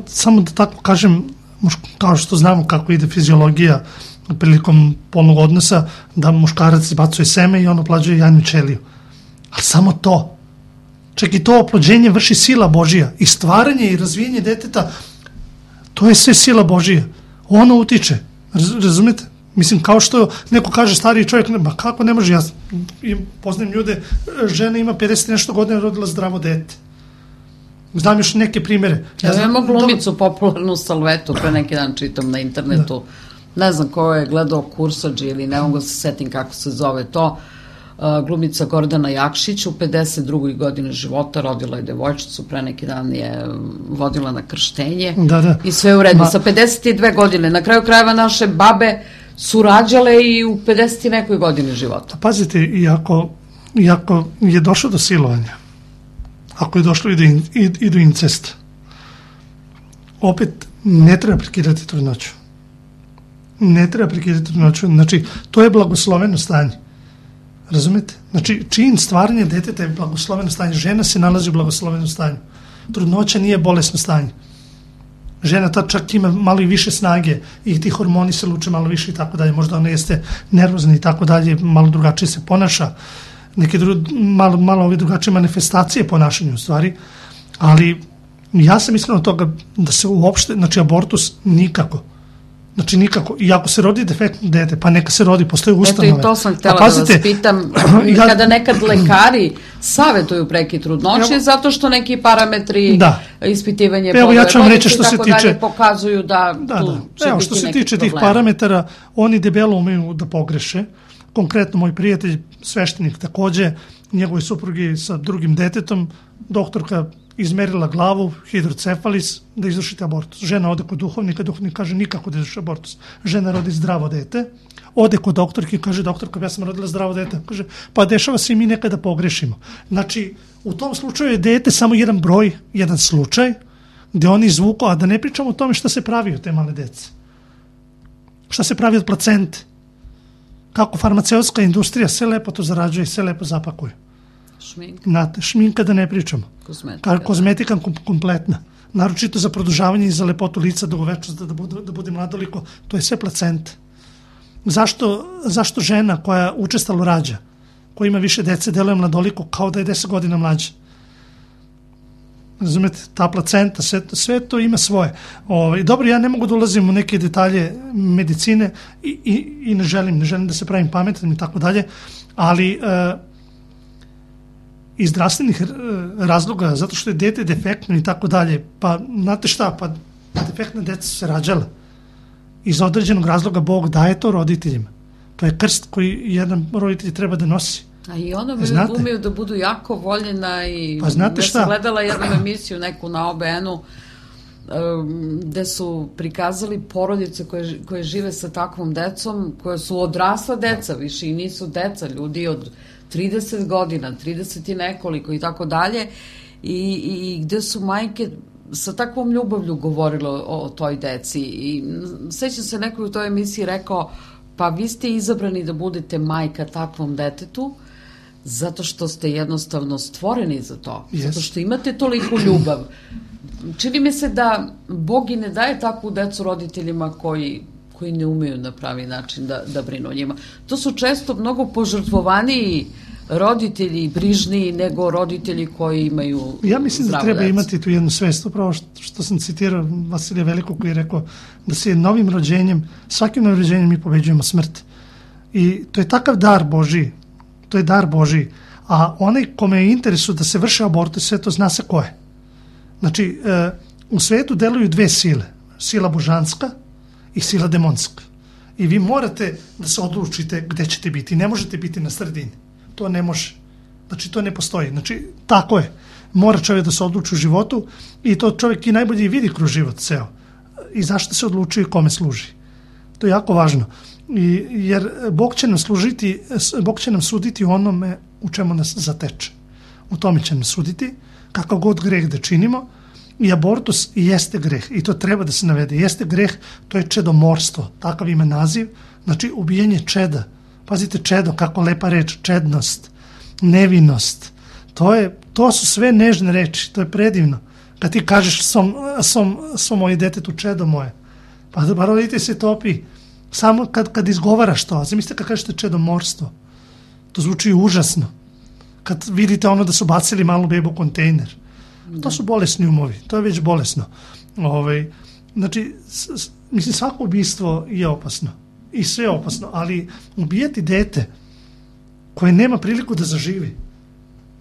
samo da tako kažem, kao što znamo kako ide fiziologija prilikom polnog odnosa, da muškarac izbacuje seme i on oplođuje jajnu ćeliju. Ali samo to. Čak i to oplođenje vrši sila Božija. I stvaranje i razvijenje deteta, to je sve sila Božija. Ono utiče. Razumete? Mislim, kao što neko kaže stariji čovjek, ma kako ne može, ja poznajem ljude, žena ima 50 nešto godina, rodila zdravo dete. Znam još neke primere. Ja imamo glumicu popularnu Salvetu, pre neki dan čitam na internetu, ne znam ko je gledao Kursađi ili ne mogu se setim kako se zove to, glumica Gordana Jakšić u 52. godine života, rodila je devojčicu, pre neki dan je vodila na krštenje i sve u redu. Sa 52 godine, na kraju krajeva naše babe su rađale i u 50 nekoj godini života. Pazite, iako je došlo do silovanja, ako je došlo i do incesta, opet ne treba prekidati trudnoću. Ne treba prekidati trudnoću. Znači, to je blagosloveno stanje. Razumete? Znači, čin stvaranja deteta je blagosloveno stanje. Žena se nalazi u blagoslovenom stanju. Trudnoća nije bolesno stanje. Žena ta čak ima malo i više snage i ti hormoni se luče malo više i tako dalje. Možda ona jeste nervozna i tako dalje, malo drugačije se ponaša. Neke malo ove drugačije manifestacije ponašanja u stvari, ali ja sam iskreno od toga da se uopšte, znači abortus nikako. Znači nikako. I ako se rodi defektno dete, pa neka se rodi, postoje ustanove. Eto i to sam htjela da vas pitam, kada nekad lekari savetuju prekid trudnoće, zato što neki parametri ispitivanje plodove što se tiče pokazuju da tu će biti što se tiče tih parametara, oni debelo umeju da pogreše. Konkretno moj prijatelj, sveštenik takođe, njegovi suprugi sa drugim detetom, doktorka izmerila glavu, hidrocefalis, da izvršite abortus. Žena ode kod duhovnika, duhovnik kaže nikako da izvrši abortus. Žena rodi zdravo dete, ode kod doktorki, kaže doktorka, ja sam rodila zdravo dete. Kaže, pa dešava se i mi nekada pogrešimo. Znači, u tom slučaju je dete samo jedan broj, jedan slučaj, gde oni izvuku, a da ne pričamo o tome šta se pravi od te male dece. Šta se pravi od placente. Kako farmaceutska industrija sve lepo to zarađuje i sve lepo zapakuje. Šminka da ne pričamo. Kozmetika kompletna. Naročito za produžavanje i za lepotu lica, dugovečnost, da bude mladoliko. To je sve placenta. Zašto žena koja učestalo rađa, koja ima više dece, deluje mladoliko kao da je 10 godina mlađa? Razumete, ta placenta, sve to ima svoje. Dobro, ja ne mogu da ulazim u neke detalje medicine i ne želim da se pravim pametan i tako dalje, ali iz zdravstvenih razloga, zato što je dete defektno i tako dalje, pa znate šta, pa defektna deca su se rađala. Iz određenog razloga Bog daje to roditeljima. To je krst koji jedan roditelj treba da nosi. A i ono umeju da budu jako voljena i ja sam gledala jednu emisiju neku na OBN-u gde su prikazali porodice koje žive sa takvom decom, koje su odrasla deca, više i nisu deca, ljudi od 30 godina, 30 i nekoliko i tako dalje, i gde su majke sa takvom ljubavlju govorile o toj deci. I sećam se, neko u toj emisiji rekao, pa vi ste izabrani da budete majka takvom detetu, zato što ste jednostavno stvoreni za to, zato što imate toliku ljubav. Čini mi se da Bog i ne daje takvu decu roditeljima koji ne umeju na pravi način da brinu o njima. To su često mnogo požrtvovaniji roditelji i brižniji nego roditelji koji imaju zdravu decu. Ja mislim da treba imati tu jednu svest, upravo što sam citirao Vasilija Velikog koji je rekao da se novim rođenjem, svakim novim rođenjem mi pobeđujemo smrt. I to je takav dar Božiji, to je dar Božiji, a onaj kome je interesu da se vrše abortus, sve to zna se ko je. Znači, u svetu deluju dve sile, sila božanska i sila demonska. I vi morate da se odlučite gde ćete biti. Ne možete biti na sredini. To ne može. Znači, to ne postoji. Znači, tako je. Mora čovjek da se odluči u životu i to čovjek i najbolje vidi kroz život ceo. I zašto se odlučuje i kome služi. To je jako važno. Jer Bog će nam suditi onome u čemu nas zateče. U tome će nam suditi, kakav god greh da činimo. I abortus jeste greh i to treba da se navede. Jeste greh, to je čedomorstvo, takav ima naziv, znači ubijanje čeda. Pazite, čedo, kako lepa reč, čednost, nevinost. To su sve nežne reči, to je predivno. Kad ti kažeš svom moje detetu čedo moje, pa rodite se topi. Samo kad izgovaraš to, zamislite kad kažete čedomorstvo, to zvuči užasno. Kad vidite ono da su bacili malu bebu u kontejner, to su bolesni umovi, to je već bolesno. Znači, mislim, svako ubistvo je opasno i sve je opasno, ali ubijati dete koje nema priliku da zaživi,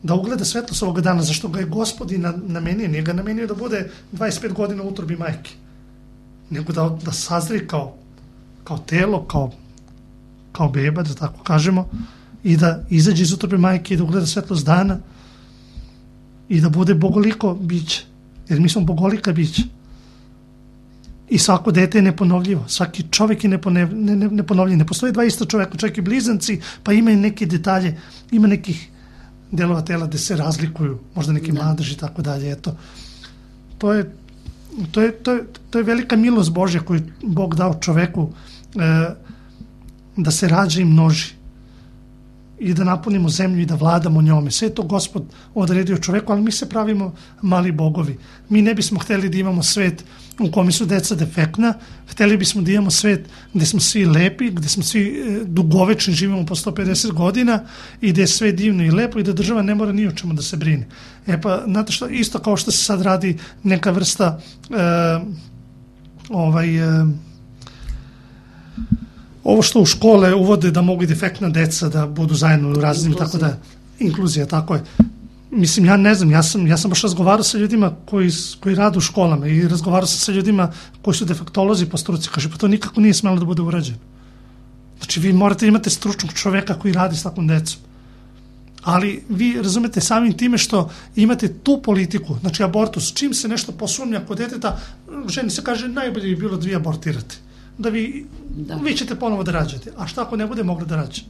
da ugleda svetlost ovoga dana, zašto ga je Gospodin namenio, nije ga namenio da bude 25 godina u utrobi majke, nego da sazri kao telo, kao beba, da tako kažemo, i da izađe iz utrobe majke i da ugleda svetlost dana i da bude bogoliko biće, jer mi smo bogolika bića. I svako dete je neponovljivo, svaki čovjek je neponovljiv. Ne postoji dva ista čovjeka, čak i blizanci, pa imaju neke detalje, ima nekih delova tela gde se razlikuju, možda neki mladež i tako dalje. Eto, to je velika milost Božja koju Bog dao čoveku, da se rađa i množi i da napunimo zemlju i da vladamo njome. Sve je to Gospod odredio čoveku, ali mi se pravimo mali bogovi. Mi ne bismo hteli da imamo svet u kome su deca defektna, hteli bismo da imamo svet gde smo svi lepi, gde smo svi dugovečni, živimo po 150 godina i gde je sve divno i lepo i da država ne mora ni o čemu da se brine. Pa, znate što, isto kao što se sad radi neka vrsta ovo što u škole uvode da mogu i defektna deca da budu zajedno u raznim, tako da, inkluzija, tako je. Mislim, ja ne znam, ja sam baš razgovarao sa ljudima koji rade u školama i razgovarao sam sa ljudima koji su defektolozi po struci, kaže, pa to nikako nije smelo da bude urađeno. Znači, vi morate imate stručnog čoveka koji radi s takvom decom. Ali vi razumete samim time što imate tu politiku, znači abortus, čim se nešto posumnja kod deteta, ženi se kaže, najbolje bi bilo da vi abortirate. Da vi ćete ponovo da rađate. A šta ako ne bude mogla da rađe?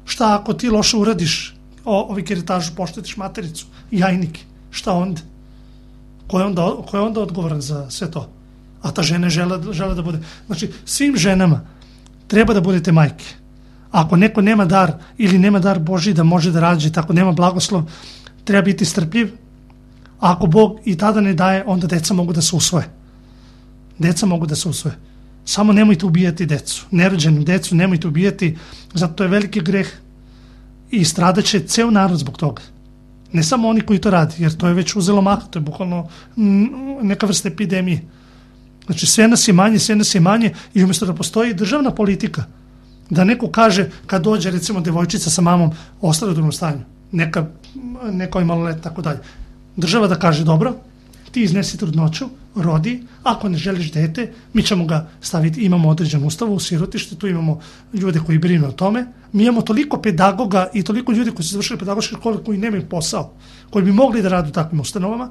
Šta ako ti loše uradiš ovi keretažu, poštetiš matericu, jajnike? Šta onda? Ko je onda odgovoran za sve to? A ta žena žele da bude. Znači, svim ženama treba da budete majke. Ako neko nema dar ili nema dar Božji da može da rađe, tako nema blagoslov, treba biti strpljiv. A ako Bog i tada ne daje, onda deca mogu da se usvoje. Deca mogu da se usvoje. Samo nemojte ubijati decu. Nerođenu decu nemojte ubijati, zato to je veliki greh i stradaće ceo narod zbog toga. Ne samo oni koji to radi, jer to je već uzelo maha, to je bukvalno neka vrsta epidemije. Znači, sve nas je manje i umjesto da postoji državna politika, da neko kaže kad dođe recimo devojčica sa mamom ostane u drugom stanju, neko je malolet, tako dalje. Država da kaže, dobro, ti iznesi trudnoću, rodi, ako ne želiš dete, mi ćemo ga staviti, imamo određen ustav u sirotište, tu imamo ljude koji brinu o tome, mi imamo toliko pedagoga i toliko ljudi koji su završili pedagoške škole koji nemaju posao, koji bi mogli da rade u takvim ustanovama.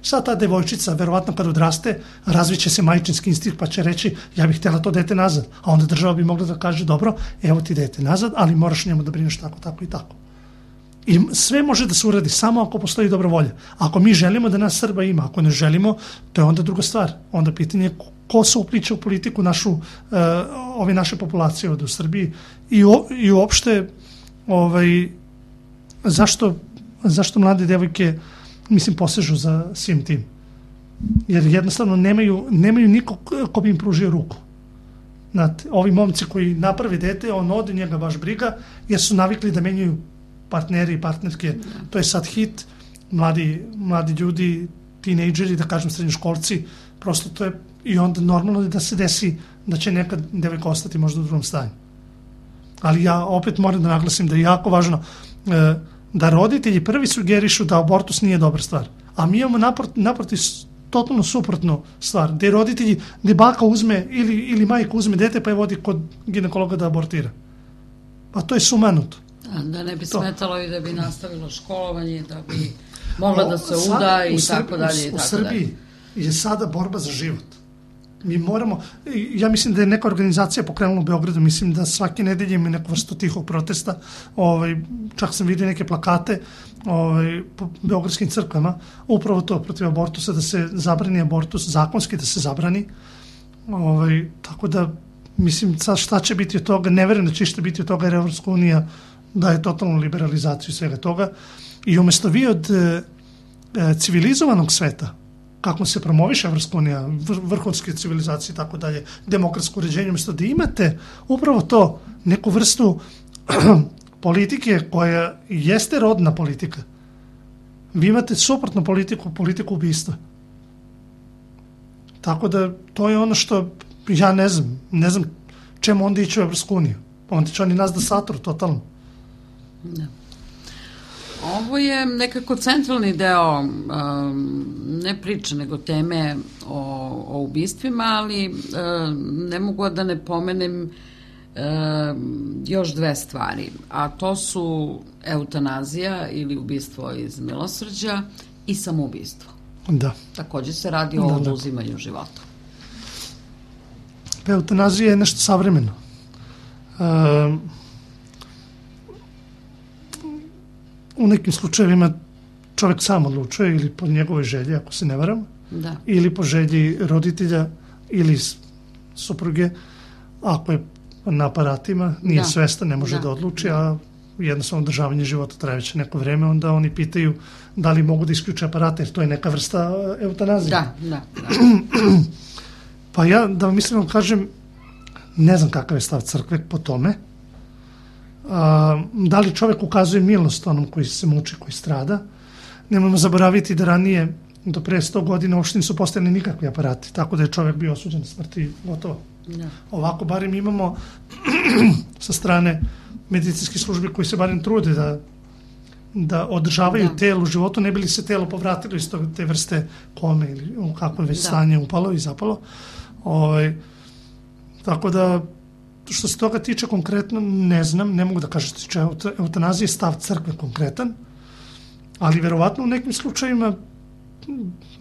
Sad ta devojčica, verovatno kad odraste, razviće se majčinski instinkt pa će reći, ja bih htjela to dete nazad, a onda država bi mogla da kaže, dobro, evo ti dete nazad, ali moraš njemu da brineš tako i tako. I sve može da se uradi samo ako postoji dobra volja. Ako mi želimo da nas Srba ima, ako ne želimo, to je onda druga stvar. Onda pitanje ko se upliče u politiku ove naše populacije ovde u Srbiji i uopšte zašto mlade devojke, mislim, posežu za svim tim. Jer jednostavno nemaju nikog ko bi im pružio ruku. Znate, ovi momci koji naprave dete, on ode, njega baš briga, jer su navikli da menjaju partneri i partnerke, to je sad hit, mladi ljudi, tinejdžeri, da kažem srednjoškolci, prosto to je i onda normalno da se desi da će nekad devojka ostati možda u drugom stanju. Ali ja opet moram da naglasim da je jako važno da roditelji prvi sugerišu da abortus nije dobra stvar. A mi imamo naprotiv totalno suprotno stvar, gde roditelji, gde baka uzme ili majka uzme dete pa je vodi kod ginekologa da abortira. Pa to je sumanuto. Da ne bi smetalo i da bi nastavilo školovanje, da bi mogla da se uda i tako dalje. U Srbiji je sada borba za život. Mi moramo, ja mislim da je neka organizacija pokrenula u Beogradu, mislim da svake nedelje ima neku vrstu tihog protesta, čak sam vidio neke plakate po beogradskim crkvama, upravo to protiv abortusa, da se zabrani abortus, zakonski da se zabrani, tako da mislim sad šta će biti od toga, ne verujem da će išta biti od toga jer Evropska unija daje totalnu liberalizaciju svega toga i umjesto vi od civilizovanog sveta, kako se promoviše Evropska unija, vrhunske civilizacije i tako dalje, demokratsko uređenje, umjesto da imate upravo to, neku vrstu politike koja jeste rodna politika. Vi imate suprotnu politiku ubistva. Tako da to je ono što ja ne znam čemu onda ići u Evropsku uniju. Onda će oni nas da satru totalno. Da. Ovo je nekako centralni deo, ne priče, nego teme o ubistvima, ali ne mogu da ne pomenem još dve stvari, a to su eutanazija ili ubistvo iz milosrđa i samoubistvo. Da. Takođe se radi o oduzimanju života. Eutanazija je nešto savremeno. U nekim slučajevima čovjek sam odlučuje ili po njegovoj želji, ako se ne varam, ili po želji roditelja ili supruge, ako je na aparatima, nije svestan, ne može da odluči, a jednostavno održavanje života traje već neko vreme, onda oni pitaju da li mogu da isključe aparate, jer to je neka vrsta eutanazije. Da. Pa ja, da vam iskreno kažem, ne znam kakav je stav crkve po tome. Da li čovjek ukazuje milost onom koji se muči, koji strada. Nemojmo zaboraviti da ranije, do pre 100 godina, uopšte nisu postojali nikakvi aparati, tako da je čovjek bio osuđen na smrt i gotovo. Ovako barem imamo sa strane medicinskih službi koji se barem trude da održavaju telo u životu, ne bi li se telo povratilo iz te vrste kome ili u kakvo je već stanje upalo i zapalo. Tako da, što se toga tiče konkretno, ne znam, ne mogu da kažem što se tiče eutanazije, stav crkve konkretan, ali verovatno u nekim slučajima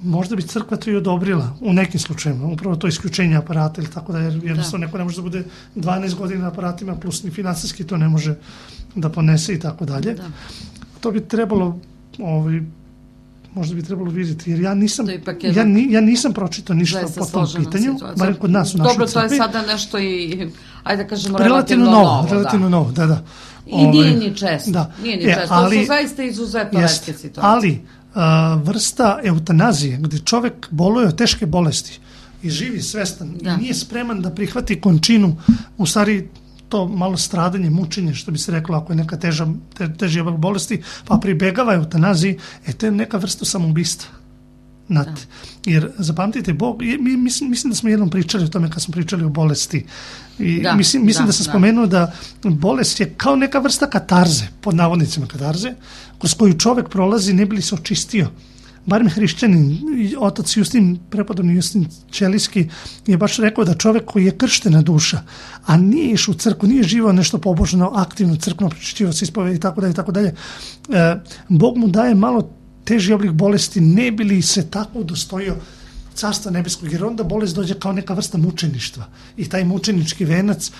možda bi crkva to i odobrila, u nekim slučajima, upravo to isključenje aparata ili tako da, jer jednostavno neko ne može da bude 12 godina na aparatima, plus ni finansijski to ne može da ponese i tako dalje. To bi trebalo, možda bi trebalo vidjeti, jer ja nisam pročitao ništa po tom pitanju, barem kod nas u našoj crkvi. Dobro, to je sada nešto i, ajde da kažemo, relativno novo. Relativno novo, da. I nije ni često, to su zaista izuzetno retke situacije. Ali, vrsta eutanazije, gdje čovjek boluje od teške bolesti i živi svestan i nije spreman da prihvati končinu, u stvari to malo stradanje, mučenje, što bi se reklo ako je neka teži oblik bolesti, pa pribegava eutanaziji, to je neka vrsta samoubistva. Jer zapamtite, Bog, mislim da smo jednom pričali o tome kad smo pričali o bolesti. Mislim da sam spomenuo da bolest je kao neka vrsta katarze, pod navodnicima katarze, kroz koju čovjek prolazi ne bi li se očistio. Barem hrišćanin, otac Justin, prepodobni Justin Ćelijski, je baš rekao da čovjek koji je krštena duša, a nije išao u crkvu, nije živao nešto pobožno, aktivno crkveno, pročišćivao se ispovedi i tako dalje, Bog mu daje malo teži oblik bolesti, ne bi li se tako udostojio carstva nebeskog, jer onda bolest dođe kao neka vrsta mučeništva. I taj mučenički venac,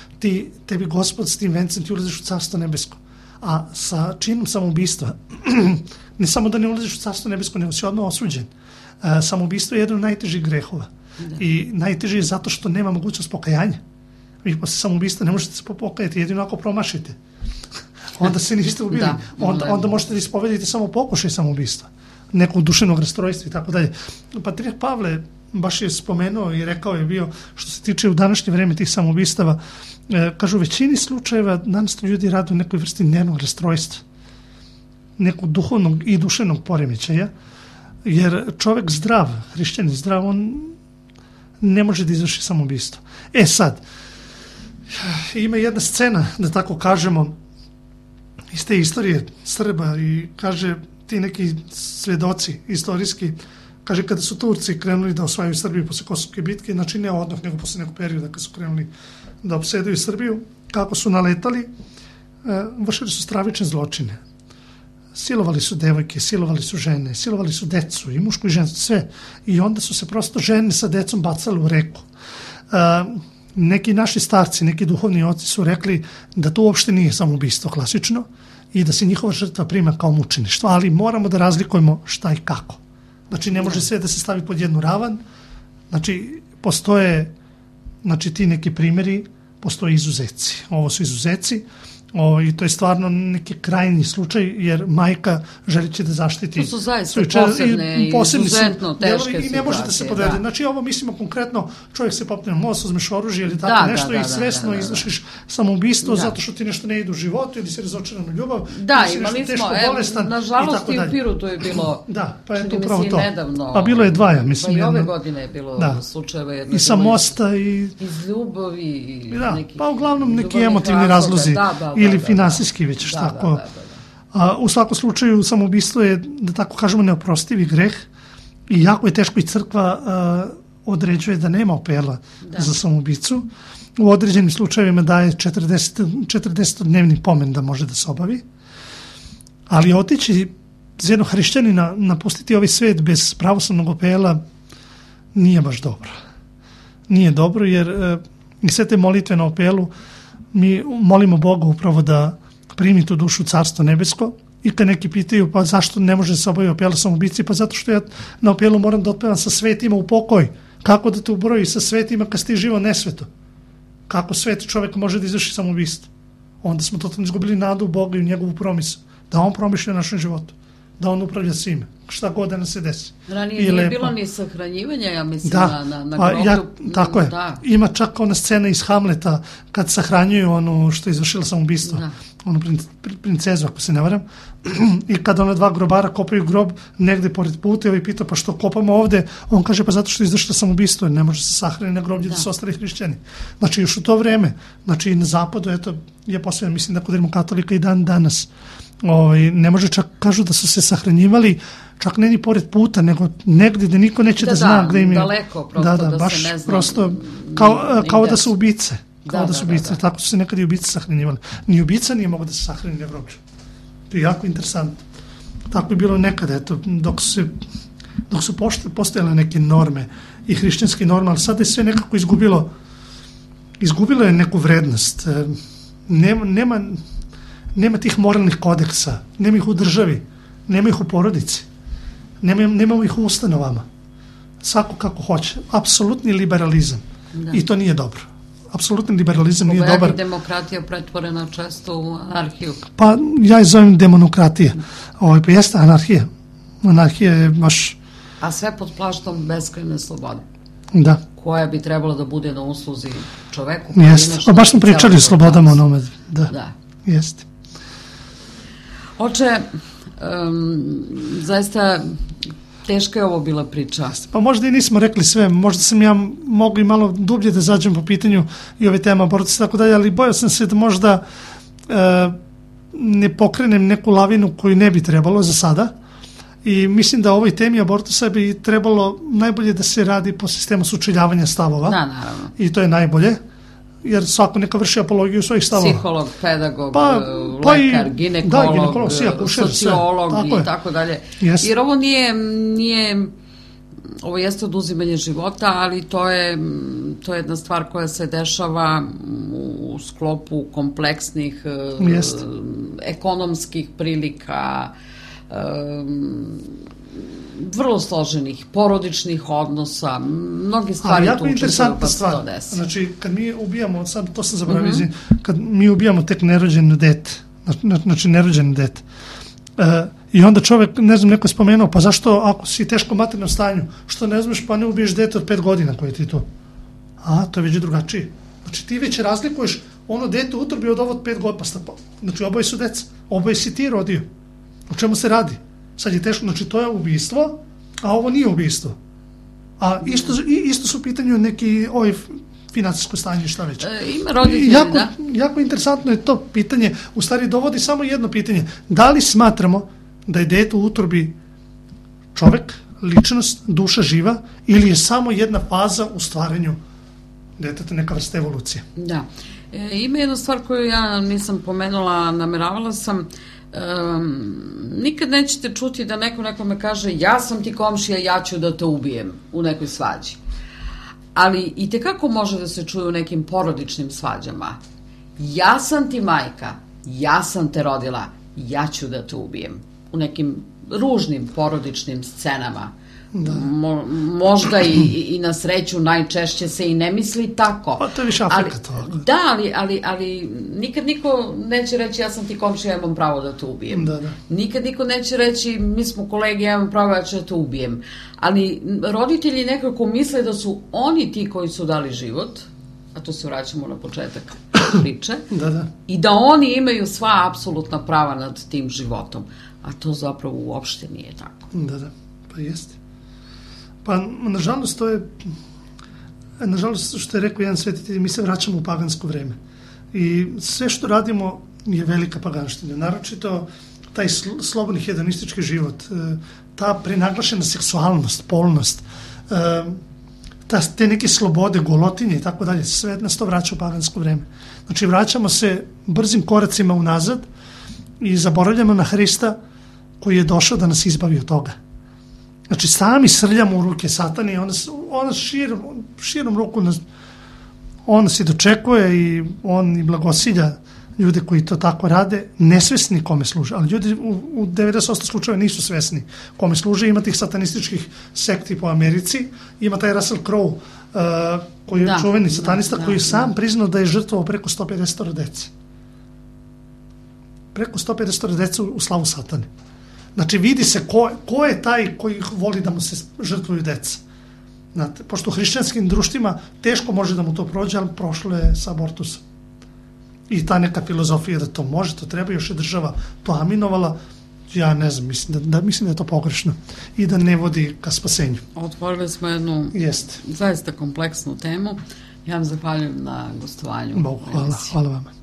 tebi Gospod s tim vencem ti ulaziš u carstvo nebesko. A sa činom samoubistva, ne samo da ne ulaziš u carstvo nebesko, nego si odmah osuđen. Samoubistvo je jedan od najtežih grehova. I najteži je zato što nema mogućnost pokajanja. Vi posle samoubistva ne možete se pokajati, jedino ako promašite. Onda se niste ubili. Onda možete da ispovedite samo pokušaj samoubistva, nekog duševnog rastrojstva i tako dalje. Patrijarh Pavle baš je spomenuo i rekao je bio, što se tiče u današnje vreme tih samoubistava, kažu u većini slučajeva danas ljudi rade u nekoj vrsti nervnog rastrojstva, nekog duhovnog i duševnog poremećaja, jer čovjek zdrav, hrišćanin zdrav, on ne može da izvrši samoubistvo. Sad, ima jedna scena, da tako kažemo, iz te istorije Srba i kaže ti neki svedoci istorijski kaže, kada su Turci krenuli da osvajaju Srbiju posle Kosovske bitke, znači ne odmah, nego posle nekog perioda kad su krenuli da opsedaju Srbiju, kako su naletali, vršili su stravične zločine. Silovali su devojke, silovali su žene, silovali su decu, i mušku i žensku, sve. I onda su se prosto žene sa decom bacali u reku. Neki naši starci, neki duhovni oci su rekli da to uopšte nije samoubistvo klasično i da se njihova žrtva prima kao mučeništvo, ali moramo da razlikujemo šta i kako. Znači, ne može sve da se stavi pod jednu ravan. Znači, postoje ti neki primjeri, postoje izuzeci. Ovo su izuzeci. I to je stvarno neki krajnji slučaj, jer majka želiće da zaštiti. To su zaista posebne i izuzetno teške situacije. I ne može da se podvede. Znači, ovo mislimo konkretno, čovjek se popne na most, uzmeš oružje ili tako nešto i svesno izvršiš samoubistvo zato što ti nešto ne ide u životu ili si razočaran u ljubav. Da, imali smo, nažalost i u Pirotu je bilo, da, pa je to upravo to. Nedavno. Pa bilo je dva, mislim. Pa i ove godine je bilo slučajeva jedno. I sa mosta i iz ljubavi. Da, pa uglavnom neki emotivni razlozi. Ili finansijski već tako. U svakom slučaju samoubistvo je, da tako kažemo, neoprostivi greh i jako je teško i crkva određuje da nema apela za samoubicu. U određenim slučajevima daje 40-dnevni pomen da može da se obavi. Ali otići za jednog hrišćanina, napustiti ovaj svet bez pravoslavnog apela nije baš dobro. Nije dobro, jer i sve te molitve na apelu mi molimo Boga upravo da primi tu dušu u Carstvo nebesko. I kad neki pitaju, pa zašto ne može se obaviti apela samoubici, pa zato što ja na apelu moram da otpevam sa svetima u pokoj. Kako da te ubroji sa svetima kad si ti živo nesveto? Kako sveti čovjek može da izvrši samoubistvo? Onda smo totalno izgubili nadu u Boga i u njegovu promislu. Da on promišlja o našem životu. Da on upravlja svime. Šta god da nam se desi. Ranije nije bilo ni sahranjivanja, ja mislim, na groblju. Tako je. Da. Ima čak ona scena iz Hamleta kad sahranjuju ono što je izvršila samoubistvo. Onu princezu, ako se ne varam. I kad ona dva grobara kopaju grob negde pored puta i ovaj pita, pa što kopamo ovde? On kaže, pa zato što je izvršila samoubistvo, ne može se sahrani na groblju da su ostali hrišćani. Znači, još u to vreme, znači i na zapadu, eto, je posebno, mislim da kod rimokatolika i dan danas. Ne može, čak kažu da su se sahranjivali čak ne ni pored puta, nego negdje da niko neće da zna gde im je. Daleko, prosto da baš, se ne zna. Prosto, kao da su ubice. Kao da su ubice. Tako su se nekad i ubice sahranjivali. Ni ubica nije mogao da se sahrani na groblju. To je jako interesantno. Tako je bilo nekada, eto, dok su postojale neke norme i hrišćanske norme, ali sada je sve nekako izgubilo je neku vrednost. Nema tih moralnih kodeksa, nema ih u državi, nema ih u porodici, nemamo ih u ustanovama. Svako kako hoće. Apsolutni liberalizam. I to nije dobro. Apsolutni liberalizam nije dobar. Je demokratija pretvorena često u anarhiju? Pa ja je zovem demonokratija. Pa jeste anarhija. Anarhija je baš... A sve pod beskrajne slobode. Da. Koja bi trebala da bude na usluzi čoveku. Jeste. Pa baš smo pričali o slobodama onome. Da. Jeste. Oče, zaista teška je ovo bila priča. Pa možda i nismo rekli sve, možda sam ja mogli malo dublje da zađem po pitanju i ove teme abortusa i tako dalje, ali bojao sam se da možda ne pokrenem neku lavinu koju ne bi trebalo za sada i mislim da o ovoj temi abortusa bi trebalo najbolje da se radi po sistemu sučeljavanja stavova. Da, naravno. I to je najbolje. Jer svako neka vrši apologiju svojih stavova. Psiholog, pedagog, lekar, ginekolog, sociolog i tako dalje. Jer ovo nije, ovo jeste oduzimanje života, ali to je jedna stvar koja se dešava u sklopu kompleksnih ekonomskih prilika, vrlo složenih porodičnih odnosa, mnoge stvari tu učestvuju pa se to desi. Znači, kad mi ubijamo, sad to sam zaboravio, kad mi ubijamo tek nerođeno dete, znači nerođeno dete, i onda čovjek, ne znam, neko je spomenuo, pa zašto ako si teško materijalnom stanju, što ne znaš pa ne ubiješ dete od 5 godina koje ti to? To je već drugačije. Znači, ti već razlikuješ ono dete u utrobi od ovo od 5 godina, znači oboje su deca, oboje si ti rodio. O čemu se radi? Sad je teško, znači to je ubistvo, a ovo nije ubistvo. A isto su u pitanju neki financijsko stanje, šta već. Ima roditelji, da. Jako interesantno je to pitanje, u stvari dovodi samo jedno pitanje. Da li smatramo da je dete u utrobi čovek, ličnost, duša živa, ili je samo jedna faza u stvaranju deteta, neka vrsta evolucije? Da. Ima jedna stvar koju ja nisam pomenula, nameravala sam, nikad nećete čuti da neko nekome kaže ja sam ti komšija, ja ću da te ubijem u nekoj svađi. Ali i tekako može da se čuje u nekim porodičnim svađama. Ja sam ti majka, ja sam te rodila, ja ću da te ubijem. U nekim ružnim porodičnim scenama. Da. Možda i na sreću najčešće se i ne misli tako. Pa to je više Afrika to. Da, ali nikad niko neće reći ja sam ti komšija, ja imam pravo da te ubijem. Da. Nikad niko neće reći mi smo kolege, ja imam pravo, ja ću da te ubijem. Ali roditelji nekako misle da su oni ti koji su dali život, a to se vraćamo na početak priče, da. I da oni imaju sva apsolutna prava nad tim životom. A to zapravo uopšte nije tako. Da, pa jeste. Pa, nažalost, to je, nažalost, što je rekao jedan svetitelj, mi se vraćamo u pagansko vreme. I sve što radimo je velika paganština. Naročito taj slobodni hedonistički život, ta prenaglašena seksualnost, polnost, te neke slobode, golotinje i tako dalje, sve nas to vraća u pagansko vreme. Znači, vraćamo se brzim koracima unazad i zaboravljamo na Hrista koji je došao da nas izbavi od toga. Znači, sami srljamo u ruke satani i ona širom ruku on nas i dočekuje i on i blagosilja ljude koji to tako rade, nesvesni kome služe, ali ljudi u 90% slučajeva nisu svesni kome služe. Ima tih satanističkih sekti po Americi, ima taj Russell Crowe koji je čuveni satanista koji je sam priznao da je žrtvovao preko 150 dece. Preko 150 dece u slavu satane. Znači, vidi se ko je taj koji voli da mu se žrtvuju deca. Znate, pošto u hrišćanskim društvima teško može da mu to prođe, ali prošlo je sa abortusom. I ta neka filozofija da to može, to treba, još je država to aminovala, ja ne znam, mislim da je to pogrešno i da ne vodi ka spasenju. Otvorili smo jednu zaista kompleksnu temu. Ja vam zahvaljujem na gostovanju. Bogu, hvala vama.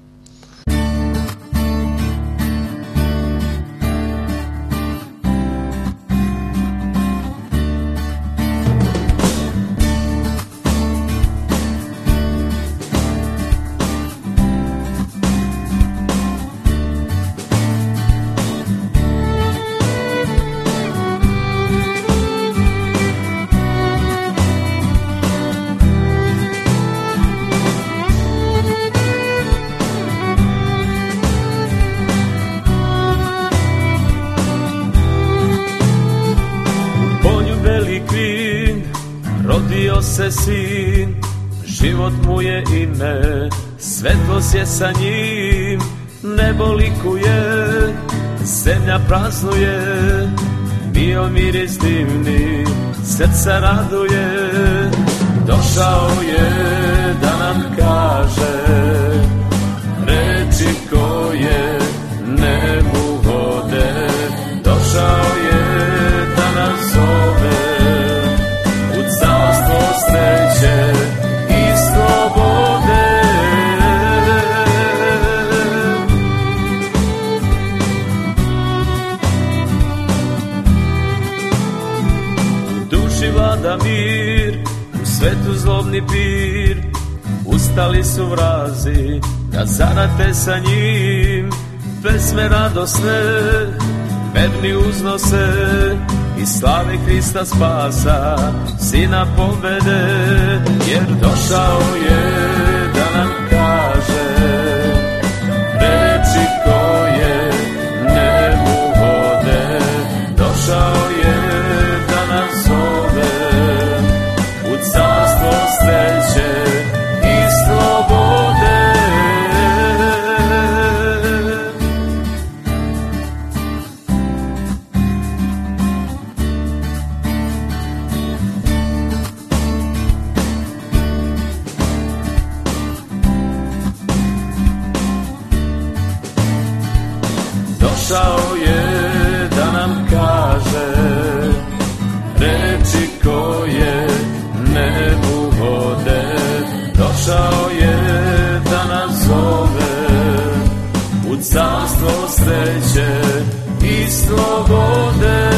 Se sin, život mu je ime, svetlost je sa njim, nebo likuje, zemlja praznuje, bio miris divni, srca raduje, došao je da nam kaže reči koje nebu vode, došao je da nas zove sreće i slobode. U duši vlada mir, u svetu zlobni pir, ustali su vrazi da zarate sa njim, pesme radosne, verni uznose i slave Hrista spasa, Sina pobede, jer došao je da nam kaže reči koje nebu vode, došao je da nas zove u carstvo sreće i slobode. Došao je da nam kaže reči koje nebu vode, došao je da nas zove u carstvo sreće i slobode.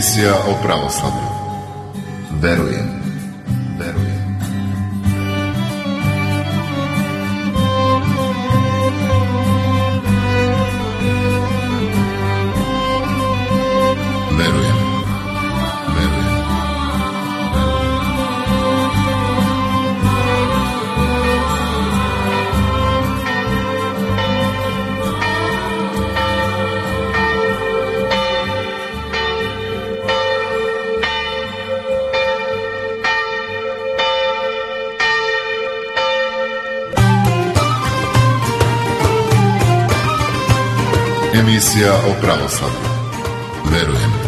Emisija o pravoslavlju. Verujem. Verujem. Verujem. Verujem. Emisija o pravoslavlju. Verujem.